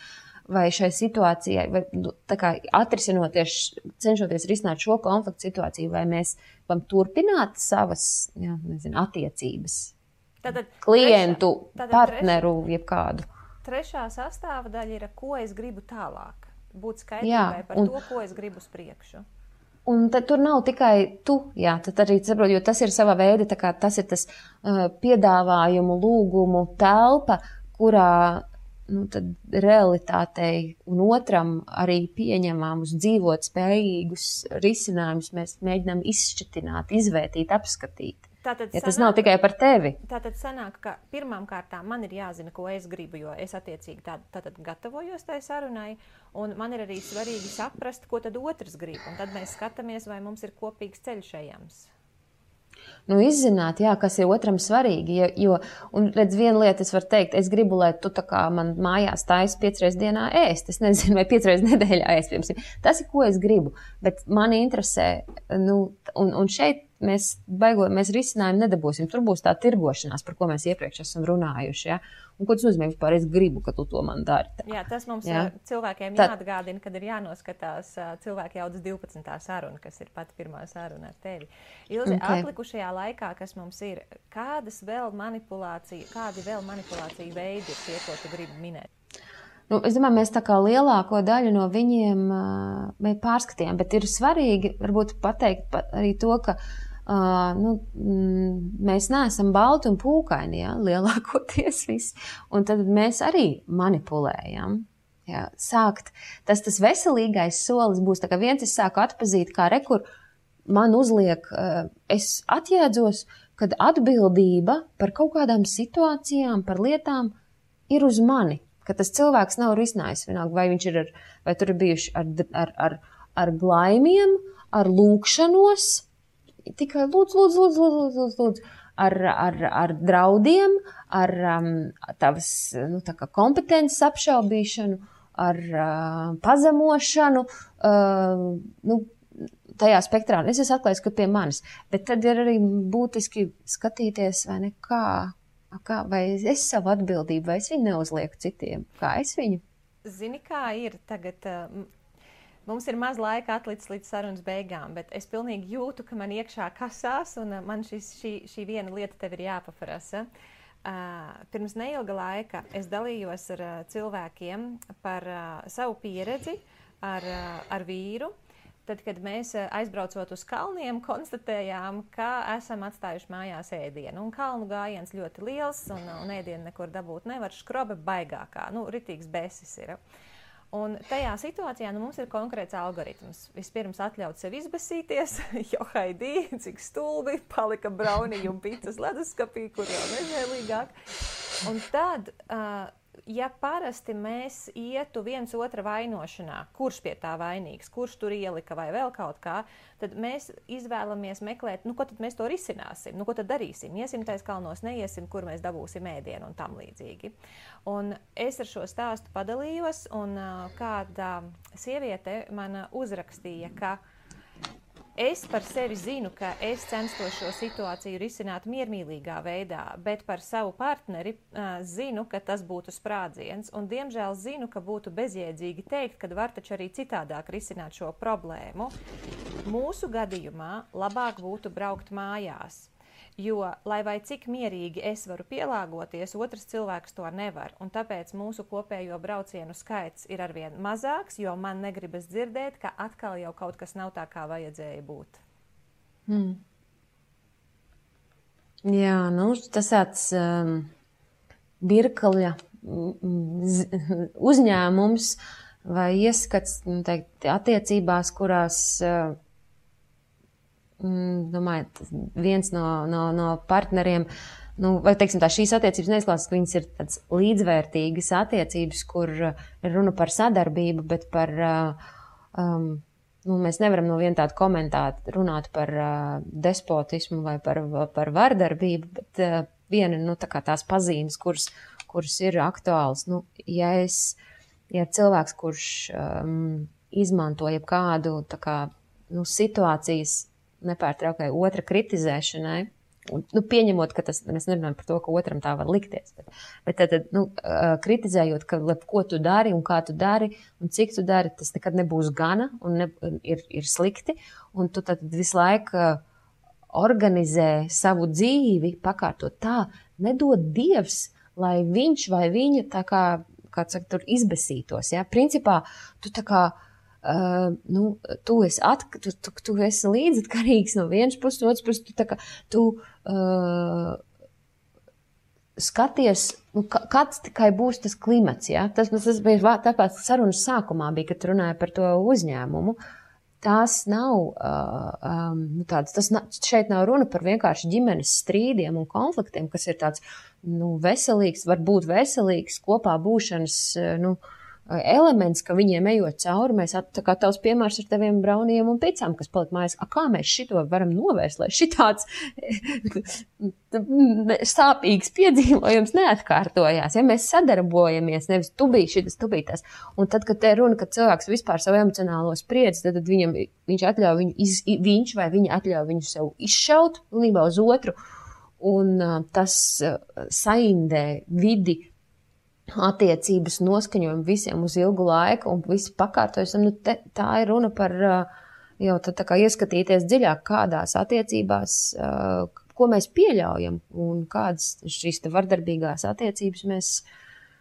vai šai situācijai, vai tā kā atrisinoties, cenšoties risināt šo konfliktu situāciju, vai mēs varam turpināt savas, attiecības, klientu, partneru, jebkādu. Trešā sastāvdaļa ir, ko es gribu tālāk. Būt skaidrībai par to, ko es gribu uz priekšu. Un tad tur nav tikai tu, tad arī saprot, jo tas ir sava veida, tā kā tas ir tas piedāvājumu, lūgumu telpa, kurā tad realitātei un otram arī pieņemamus, dzīvot spējīgus risinājumus mēs mēģinām izšķitināt, izvērtīt, apskatīt. Tas nav tikai par tevi. Tātad sanāk, ka pirmām kārtām man ir jāzina, ko es gribu, jo es attiecīgi tātad gatavojos tai sarunai, un man ir arī svarīgi saprast, ko tad otrs grib, un tad mēs skatāmies, vai mums ir kopīgs ceļš ejams. Izzināt, kas ir otram svarīgi, un redz, viena lieta es varu teikt, es gribu, lai tu tā kā man mājās taisi 5 reizes dienā ēst, es nezinu, vai 5 reizes nedēļā ēst, piemēram. Tas ir, ko es gribu, bet mani interesē, un šeit mēs risinājumu nedabūsim. Tur būs tā tirgošanās, par ko mēs iepriekš esam runājuši. Ja? Un ko tas nozīmē vispār? Es gribu, ka tu to man dari. Tā. Tas mums cilvēkiem jāatgādina, kad ir jānoskatās cilvēku jaudas 12. saruna, kas ir pati pirmā saruna ar tevi. Ilze, atlikušajā laikā, kas mums ir, kādi vēl manipulāciju veidi ir tie, ko tu gribi minēt? Es domāju, mēs tā kā lielāko daļu no viņiem pārskatījām, bet ir svarīgi varbūt pateikt arī to, ka mēs neesam balti un pūkaini, lielākoties visi, un tad mēs arī manipulējam. Sākt, tas veselīgais solis būs, tā kā viens es sāku atpazīt, kā rekur man uzliek, es atjēdzos, kad atbildība par kaut kādām situācijām, par lietām ir uz mani. Ka tas cilvēks nav risinājis vienalga, vai viņš ir vai tur ir bijuši ar glaimiem, ar lūkšanos, tikai lūdzu, ar draudiem, ar tavas tā kā kompetences apšaubīšanu, ar pazemošanu, tajā spektrā. Es esmu atklājis, ka pie manis, bet tad ir arī būtiski skatīties, vai ne, vai es savu atbildību, vai es viņu neuzlieku citiem, kā es viņu. Zini, kā ir tagad, mums ir maz laika atlicis līdz sarunas beigām, bet es pilnīgi jūtu, ka man iekšā kasās, un man šī viena lieta tev ir jāpaprasa. Pirms neilga laika es dalījos ar cilvēkiem par savu pieredzi ar vīru. Tad, kad mēs aizbraucot uz kalniem, konstatējām, ka esam atstājuši mājās ēdienu. Un kalnu gājiens ļoti liels, un ēdienu nekur dabūt nevar. Škrobe baigākā, ritīgs besis ir. Un tajā situācijā mums ir konkrēts algoritms. Vispirms atļaut sev izbesīties, jo haidī, cik stulbi, palika braunīgi un picas leduskapī, kur jau nežēlīgāk. Un tad... Ja parasti mēs ietu viens otra vainošanā, kurš pie tā vainīgs, kurš tur ielika vai vēl kaut kā, tad mēs izvēlamies meklēt, ko tad mēs to risināsim, ko tad darīsim, iesim tais kalnos, neiesim, kur mēs dabūsim ēdienu un tam līdzīgi. Un es ar šo stāstu padalījos, un kāda sieviete man uzrakstīja, ka es par sevi zinu, ka es censtos šo situāciju risināt miermīlīgā veidā, bet par savu partneri zinu, ka tas būtu sprādziens, un diemžēl zinu, ka būtu bezjēdzīgi teikt, ka var taču arī citādāk risināt šo problēmu. Mūsu gadījumā labāk būtu braukt mājās, jo, lai vai cik mierīgi es varu pielāgoties, otrs cilvēks to nevar, un tāpēc mūsu kopējo braucienu skaits ir arvien mazāks, jo man negribas dzirdēt, ka atkal jau kaut kas nav tā, kā vajadzēja būt. Jā, tas tāds birkaļa uzņēmums vai ieskats, attiecībās, kurās... domāju, viens no partneriem, vai teiksim tā, šīs attiecības neizklausās, ka viņas ir tāds līdzvērtīgas attiecības, kur ir runa par sadarbību, bet par, mēs nevaram no viena tāda komentāra runāt par despotismu vai par vardarbību, bet viena, tā kā tās pazīmes, kuras ir aktuāls. Ja cilvēks, kurš izmanto jebkādu, tā kā, situācijas nepārtraukai otra kritizēšanai pieņemot, ka mēs nerunājam par to, ka otram tā var likties, bet tad, kritizējot, ka ko tu dari un kā tu dari un cik tu dari, tas nekad nebūs gana un ir slikti, un tu tad visu laiku organizē savu dzīvi, pakārtot tā, nedod Dievs, lai viņš vai viņa tā kā saka, tur izbesītos, ja? Principā, tu tā kā tu esi līdzatkarīgs no vienas puses, no otras puses, tu skaties, kāds tikai būs tas klimats, ja? Tas bija tāpēc sarunas sākumā bija, kad runāja par to uzņēmumu. Tās nav šeit nav runa par vienkārši ģimenes strīdiem un konfliktiem, kas ir tāds, veselīgs, varbūt veselīgs kopā būšanas, elements, ka viņiem ejot cauri, mēs tā kā tavs piemērs ar taviem brauniem un picām, kas paliek mājās, kā mēs šito varam novērst, lai šitāds sāpīgs piedzīvojums neatkārtojās. Ja mēs sadarbojamies, nevis tu biji šitas, tu biji tas. Un tad, kad te runa, kad cilvēks vispār savu emocionālo spriedzi, tad viņš atļauj viņš vai viņa atļauj viņu sev izšaut pilnībā uz otru. Un tas saindē vidi, attiecības noskaņojumu visiem uz ilgu laiku un visi pakārtojas. Tā ir runa par jau tā kā ieskatīties dziļāk kādās attiecībās, ko mēs pieļaujam un kādas šīs te vardarbīgās attiecības mēs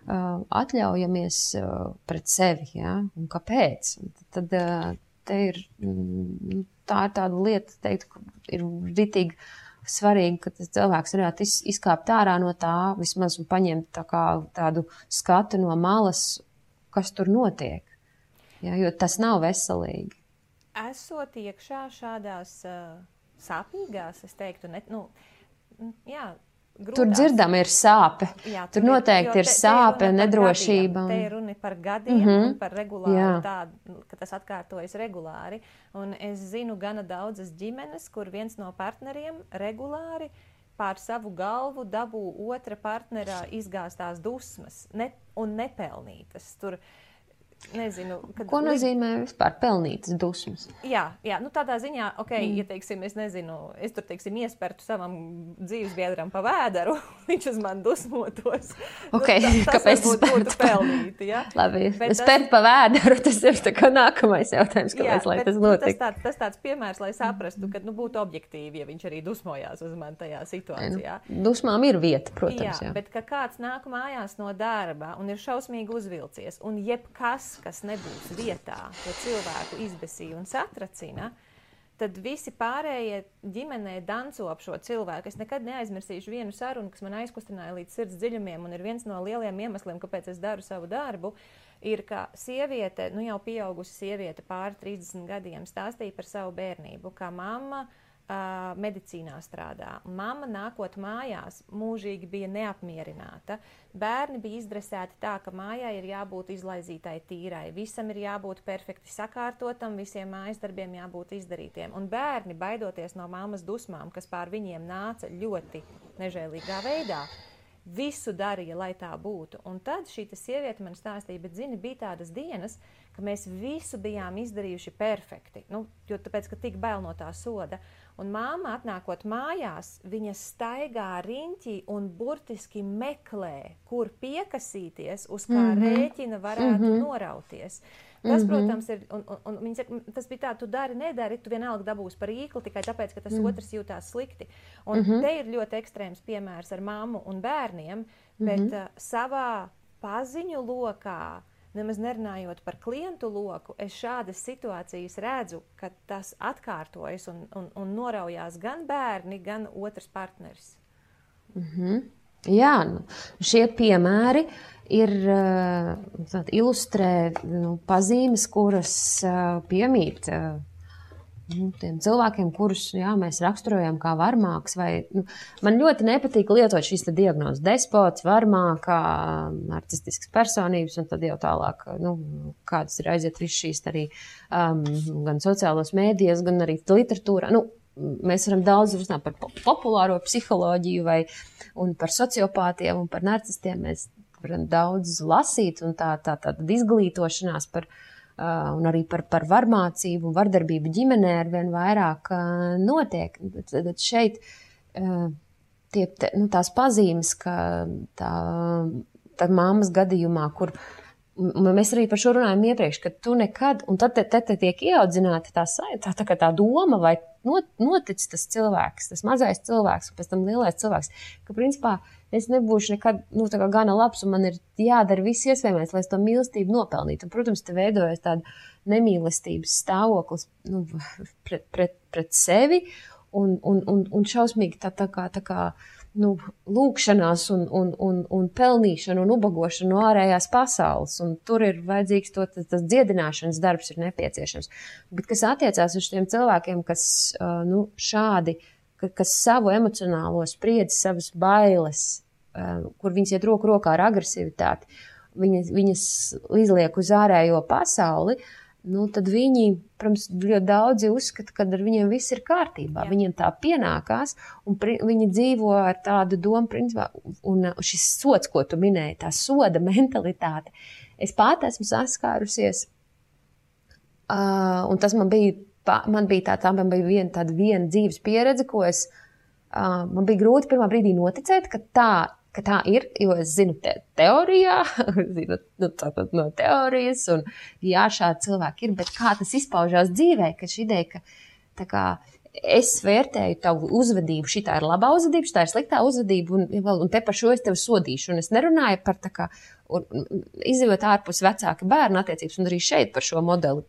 atļaujamies pret sevi, ja? Un kāpēc? Tad te ir, tā ir tāda lieta, teiktu, ir ritīgi svarīgi, ka tas cilvēks varētu izkāpt ārā no tā, vismaz un paņemt tādu skatu no malas, kas tur notiek. Ja, jo tas nav veselīgi. Esot iekšā šādās sāpīgās, es teiktu, grūtās. Tur dzirdam ir sāpe. Jā, tur noteikti ir sāpe, nedrošība. Te ir runa par gadiem un par regulāru tādu, ka tas atkārtojas regulāri. Un es zinu gana daudzas ģimenes, kur viens no partneriem regulāri pār savu galvu dabū otra partnerā izgāstās dusmas un nepelnītas. Tur nezinu, ko nozīmē vispār pelnītas dusmas? Jā, tādā ziņā, ja teiksim, es nezinu, es tur, teiksim, iespertu savam dzīvesbiedram pa vēderu, viņš uz mani dusmotos. Kāpēc tas būtu pelnīti, ja? Labi, spert pa vēderu, tas ir tā kā nākamais jautājums, kāpēc, lai tas notiek. Tas tāds piemērs, lai saprastu, ka būtu objektīvi, ja viņš arī dusmojās uz mani tajā situācijā. Dusmām ir vieta, protams. Jā, bet ka kāds nāk mājās no darba un ir šausmīgi uzvilcies, un jebkas, kas nebūs vietā, to cilvēku izbesīja un satracina, tad visi pārējie ģimenē danco ap šo cilvēku. Es nekad neaizmirsīšu vienu sarunu, kas man aizkustināja līdz sirds dziļumiem, un ir viens no lieliem iemesliem, kāpēc es daru savu darbu, ir, ka sieviete, jau pieaugusi sieviete pāri 30 gadiem stāstīja par savu bērnību, kā mamma medicīnā strādā. Mamma nākot mājās mūžīgi bija neapmierināta. Bērni bija izdresēti tā, ka mājā ir jābūt izlaizītai tīrai. Visam ir jābūt perfekti sakārtotam, visiem mājas darbiem jābūt izdarītiem. Un bērni, baidoties no mammas dusmām, kas pār viņiem nāca ļoti nežēlīgā veidā, visu darīja, lai tā būtu. Un tad šī sieviete man stāstīja, bet zini, bija tādas dienas, ka mēs visu bijām izdarījuši perfekti. Jo tāpēc, ka tik bail no tā soda. Un māma atnākot mājās, viņa staigā riņķī un burtiski meklē, kur piekasīties, uz kā rēķina varētu norauties. Tas, protams, ir, un viņa saka, tas bija tā, tu dari, nedari, tu vienalga dabūsi par īkli tikai tāpēc, ka tas otrs jūtās slikti. Un te ir ļoti ekstrēms piemērs ar mammu un bērniem, bet savā paziņu lokā, nemaz nerunājot par klientu loku, es šādas situācijas redzu, ka tas atkārtojas un noraujās gan bērni, gan otrs partneris. Jā, šie piemēri ir ilustrē pazīmes, kuras piemīt tiem cilvēkiem, kurus mēs raksturojam kā varmāks. Man ļoti nepatīk lietot šīs diagnozes despots, varmākā, narcistiskas personības, un tad jau tālāk, kādas ir aiziet visu šīs arī gan sociālos mēdījos, gan arī literatūrā. Mēs varam daudz runāt par populāro psiholoģiju un par sociopātiem un par narcistiem. Mēs varam daudz lasīt un tāda izglītošanās un arī par varmācību un vardarbību ģimenē arvien vairāk notiek. Tad šeit tās pazīmes, ka tā mammas gadījumā, kur mēs arī par šo runājam iepriekš, ka tu nekad, un tad te tiek ieaudzināta tā doma, vai notic tas cilvēks, tas mazais cilvēks, un pēc tam lielais cilvēks, ka principā es nebūšu nekad, gana labs, un man ir jādara viss iespējamais, lai es to mīlestību nopelnītu. Un, protams, te veidojas tāda nemīlestības stāvoklis pret sevi, un šausmīgi tā kā lūkšanās un pelnīšana un ubagošana no ārējās pasaules. Un tur ir vajadzīgs tas dziedināšanas darbs ir nepieciešams. Bet kas attiecās uz tiem cilvēkiem, kas šādi, kas savu emocionālo spriedzi, savas bailes, kur viņas iet roku rokā ar agresivitāti, viņas izliek uz ārējo pasauli, tad viņi, protams, ļoti daudzi uzskata, ka ar viņiem viss ir kārtībā. Jā. Viņiem tā pienākās, un viņi dzīvo ar tādu domu, principā, un šis sods, ko tu minēji, tā soda mentalitāte. Es pat esmu saskārusies, un tas man bija viena dzīves pieredze, ko man bija grūti pirmā brīdī noticēt, ka tā ir, jo es zinu teorijā, zinu no teorijas, un jā, šādi cilvēki ir, bet kā tas izpaužās dzīvē, ka šī ideja, ka es vērtēju tavu uzvedību, šitā ir labā uzvedība, šitā ir sliktā uzvedība, un te par šo es tevi sodīšu, un es nerunāju par izjūt ārpus vecāka bērna attiecības, un arī šeit par šo modeli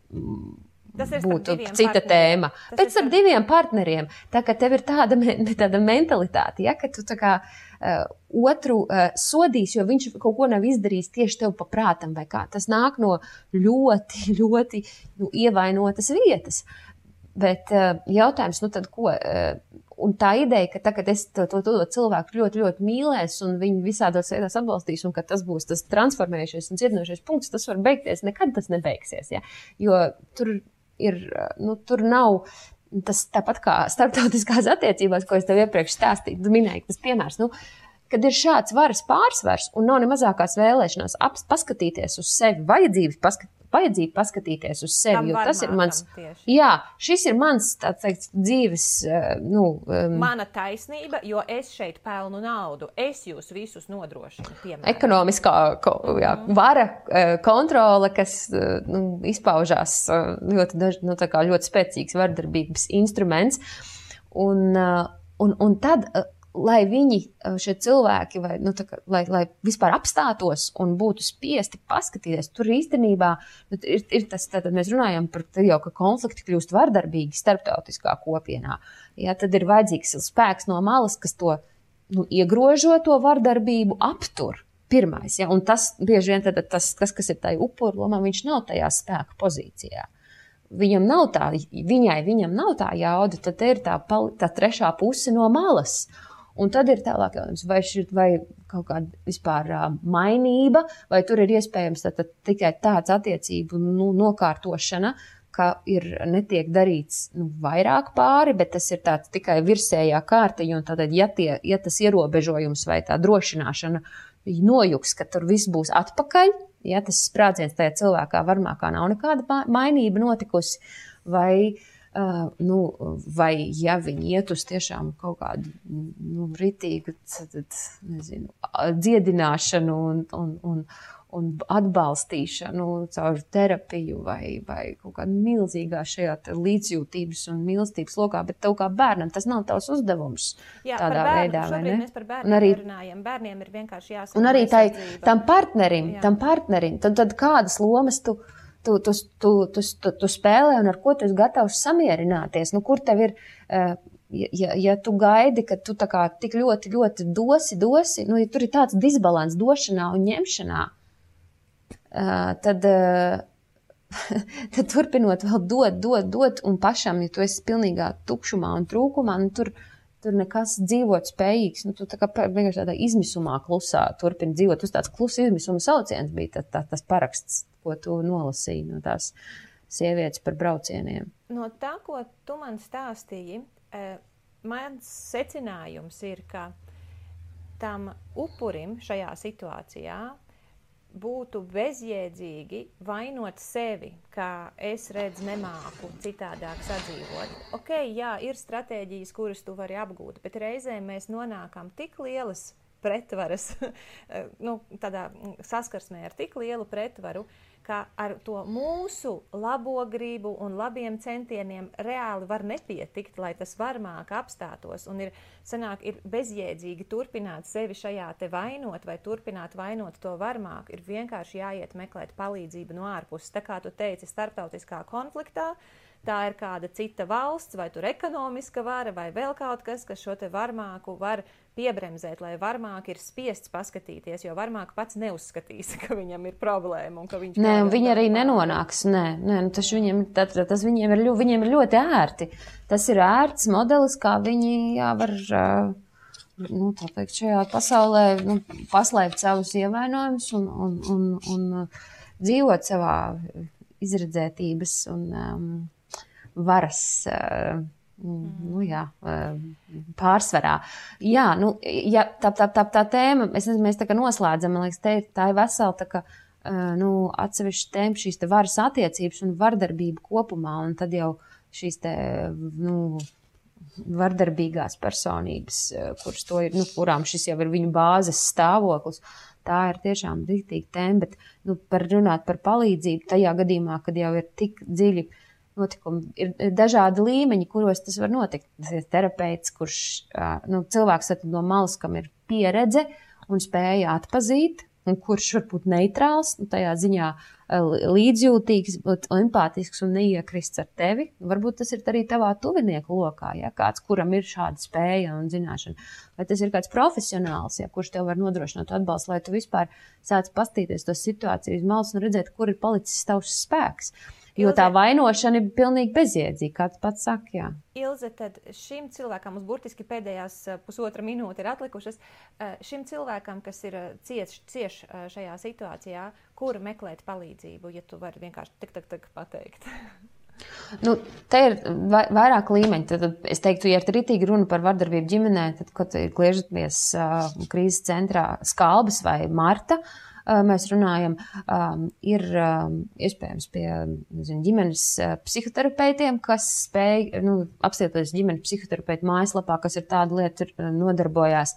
būtu cita tēma. Pēc ar diviem partneriem, tā kā tev ir tāda mentalitāte, ja, ka tu otru sodīs, jo viņš kaut ko nav izdarījis tieši tev pa prātam vai kā. Tas nāk no ļoti, ļoti ievainotas vietas. Bet jautājums, tad ko? Un tā ideja, ka tagad es to cilvēku ļoti, ļoti mīlēs un viņu visādos veidos atbalstīs un ka tas būs tas transformējušies un cietinošies punkts, tas var beigties, nekad tas nebeigsies, ja? Jo tur tur nav tas tāpat kā starptautiskās attiecībās, ko es tev iepriekš stāstīju, tu minēji, tas piemērs, kad ir šāds varas pārsvars un nav ne mazākās vēlēšanās paskatīties uz sevi, vajadzība paskatīties uz sevi, jo tas ir mans, šis ir mans, tāds teikt, dzīves, mana taisnība, jo es šeit pelnu naudu, es jūs visus nodrošinu, piemēram. Ekonomiskā vara, kontrole, kas izpaužās ļoti spēcīgs vardarbības instruments, un tad lai viņi, šie cilvēki, lai vispār apstātos un būtu spiesti paskatīties, tur īstenībā ir tas, tātad mēs runājam par jau, ka konflikti kļūst vardarbīgi starptautiskā kopienā. Ja, tad ir vajadzīgs spēks no malas, kas to iegrožo to vardarbību, aptur pirmais. Ja, un tas bieži vien tas, kas ir tai upuru lomā, viņš nav tajā spēka pozīcijā. Viņam nav tā jauda, tad ir tā trešā puse no malas. Un tad ir tālāk jautājums, vai kaut kāda vispār mainība, vai tur ir iespējams tikai tāds attiecību nokārtošana, ka netiek darīts vairāk pāri, bet tas ir tāds tikai virsējā kārtiņa, un tātad, ja tas ierobežojums vai tā drošināšana nojuks, ka tur viss būs atpakaļ, ja tas sprādziens tajā cilvēkā varmākā nav nekāda mainība notikusi, vai ja viņi iet uz tiešām kaut kādu ritīgu, dziedināšanu un atbalstīšanu caur terapiju vai kaut kādu milzīgā šajā līdzjūtības un mīlestības lokā, bet tev kā bērnam tas nav tavs uzdevums. Jā, tādā veidā, vai ne? Mēs par bērniem runājam. Bērniem ir vienkārši jāsaka. Un arī tam partnerim, tad kādas lomas tu spēlē un ar ko tu esi gatavs samierināties? Kur tev ir, ja tu gaidi, ka tu tā kā tik ļoti, ļoti dosi, ja tur ir tāds disbalans došanā un ņemšanā, tad turpinot vēl dot un pašam, ja tu esi pilnīgā tukšumā un trūkumā, tur nekas dzīvot spējīgs, tu tā kā vienkārši tādā izmisumā klusā turpini dzīvot. Uz tāds klusa izmisuma sauciens bija tas paraksts, ko tu nolasīji no tās sievietes par braucieniem. No tā, ko tu man stāstīji, mans secinājums ir, ka tam upurim šajā situācijā būtu bezjēdzīgi vainot sevi, kā es redzu nemāku citādāk sadzīvot. Ok, jā, ir stratēģijas, kuras tu vari apgūt, bet reizēm mēs nonākam tik lielas pretvaras, tādā saskarsmē ar tik lielu pretvaru, ka ar to mūsu labo gribu un labiem centieniem reāli var nepietikt, lai tas varmāk apstātos. Un ir bezjēdzīgi turpināt sevi šajā te vainot vai turpināt vainot to varmāku. Ir vienkārši jāiet meklēt palīdzību no ārpuses. Tā kā tu teici, starptautiskā konfliktā, tā ir kāda cita valsts, vai tur ekonomiska vara, vai vēl kaut kas šo te varmāku var piebremzēt, lai varmāk ir spiests paskatīties, jo varmāk pats neuzskatīs, ka viņam ir problēma un ka viņš... Nē, viņi arī nenonāks, tas viņiem ir ļoti ērti. Tas ir ērts modelis, kā viņi var, tā teikt, šajā pasaulē paslēpt savus ievainojumus un dzīvot savā izredzētības un varas pārsvarā. Jā, tā tēma, mēs tā kā noslēdzam, man liekas, tā ir vesela tā kā, atsevišķa tēma, šīs te varas attiecības un vardarbība kopumā, un tad jau šīs te, vardarbīgās personības, kuras to ir, kurām šis jau ir viņu bāzes stāvoklis, tā ir tiešām rītīga tēma, bet par runāt par palīdzību tajā gadījumā, kad jau ir tik dziļi notikumi, ir dažādi līmeņi, kuros tas var notikt. Tas ir terapeits, kurš cilvēks no malas, kam ir pieredze un spēja atpazīt, un kurš var būt neitrāls, tajā ziņā līdzjūtīgs, empātisks un neiekrists ar tevi. Varbūt tas ir arī tavā tuvinieku lokā, ja kāds, kuram ir šāda spēja un zināšana. Vai tas ir kāds profesionāls, ja, kurš tev var nodrošināt atbalstu, lai tu vispār sāc pastīties to situāciju uz malas un redzēt, kur ir palicis tavs spēks. Jo tā vainošana ir pilnīgi bezjēdzīga, kā tu pats saki, jā. Ilze, tad šim cilvēkam, mums burtiski pēdējās pusotra minūte ir atlikušas, šim cilvēkam, kas ir cieš šajā situācijā, kur meklēt palīdzību, ja tu vari vienkārši tak pateikt? Te ir vairāk līmeņi. Tad es teiktu, ja ir ritīgi runa par vardarbību ģimenē, tad, kad griežaties krīzes centrā Skalbas vai Marta, mēs runājam, ir iespējams pie ģimenes psihoterapeitiem, kas spēj apstāties ģimenes psihoterapeitu mājaslapā, kas ir tāda lieta, nodarbojās,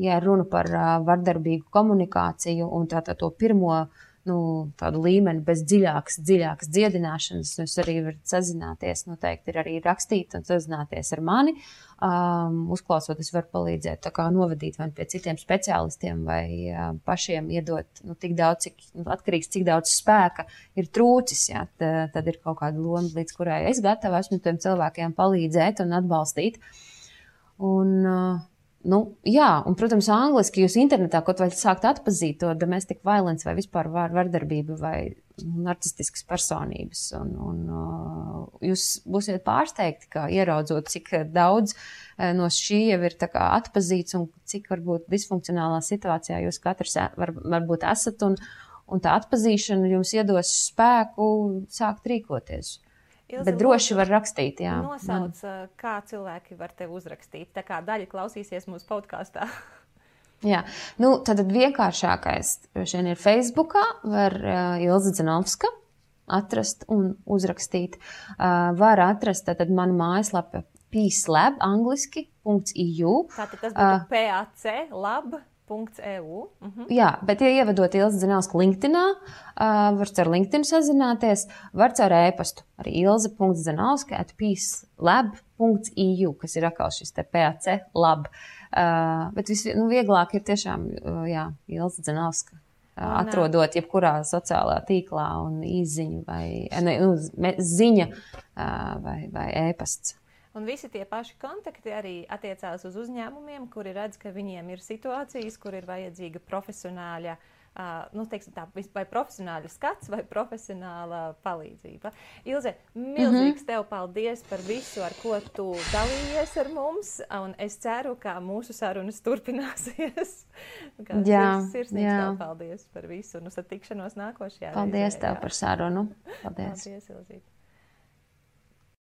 ja runa par vardarbīgu komunikāciju un to pirmo tādu līmeni bez dziļākas dziedināšanas. Jūs arī varat sazināties, noteikti ir arī rakstīt un sazināties ar mani. Uzklausot, es varu palīdzēt novadīt vai pie citiem speciālistiem vai pašiem iedot tik daudz, atkarīgs, cik daudz spēka ir trūcis. Jā, tad ir kaut kāda loma, līdz kurai es gatava esmu tiem cilvēkiem palīdzēt un atbalstīt. Un, protams, angliski jūs internetā kaut vai sākt atpazīt to domestic violence vai vispār vardarbību vai narcistiskas personības. Un jūs būsiet pārsteigti, kā ieraudzot, cik daudz no šī jau ir atpazīts un cik varbūt disfunkcionālā situācijā jūs katrs varbūt esat. Un tā atpazīšana jums iedos spēku sākt rīkoties. Ilze, bet droši var rakstīt, jā. Nosauc, kā cilvēki var tevi uzrakstīt. Tā kā daļa klausīsies mūsu podkāstā. Jā, tad vienkāršākais šeit ir Facebookā, var Ilze Dzenovska atrast un uzrakstīt. Var atrast tad manu mājaslapu peacelab, angliski.eu. Tātad tas būtu PAC lab.eu. Jā, bet ja ievedot Ilze Dzenovska LinkedInā, var caur LinkedIn sazināties, var caur e-pastu arī ilze.dzenovska@peacelab.eu, kas ir atkal šis te PAC lab. Bet vieglāk ir tiešām, Ilze Dzenovska. Atrodot jebkurā sociālā tīklā un īziņu vai ziņa vai e-pasts. Un visi tie paši kontakti arī attiecās uz uzņēmumiem, kuri redz, ka viņiem ir situācijas, kur ir vajadzīga profesionāļa, vai profesionāļa skats vai profesionāla palīdzība. Ilze, milzīgs tev paldies par visu, ar ko tu dalījies ar mums, un es ceru, ka mūsu sarunas turpināsies. Sirsnīgs tev paldies par visu, un uz satikšanos nākošajā reizē. Paldies tev par sarunu. Paldies, Ilzīte.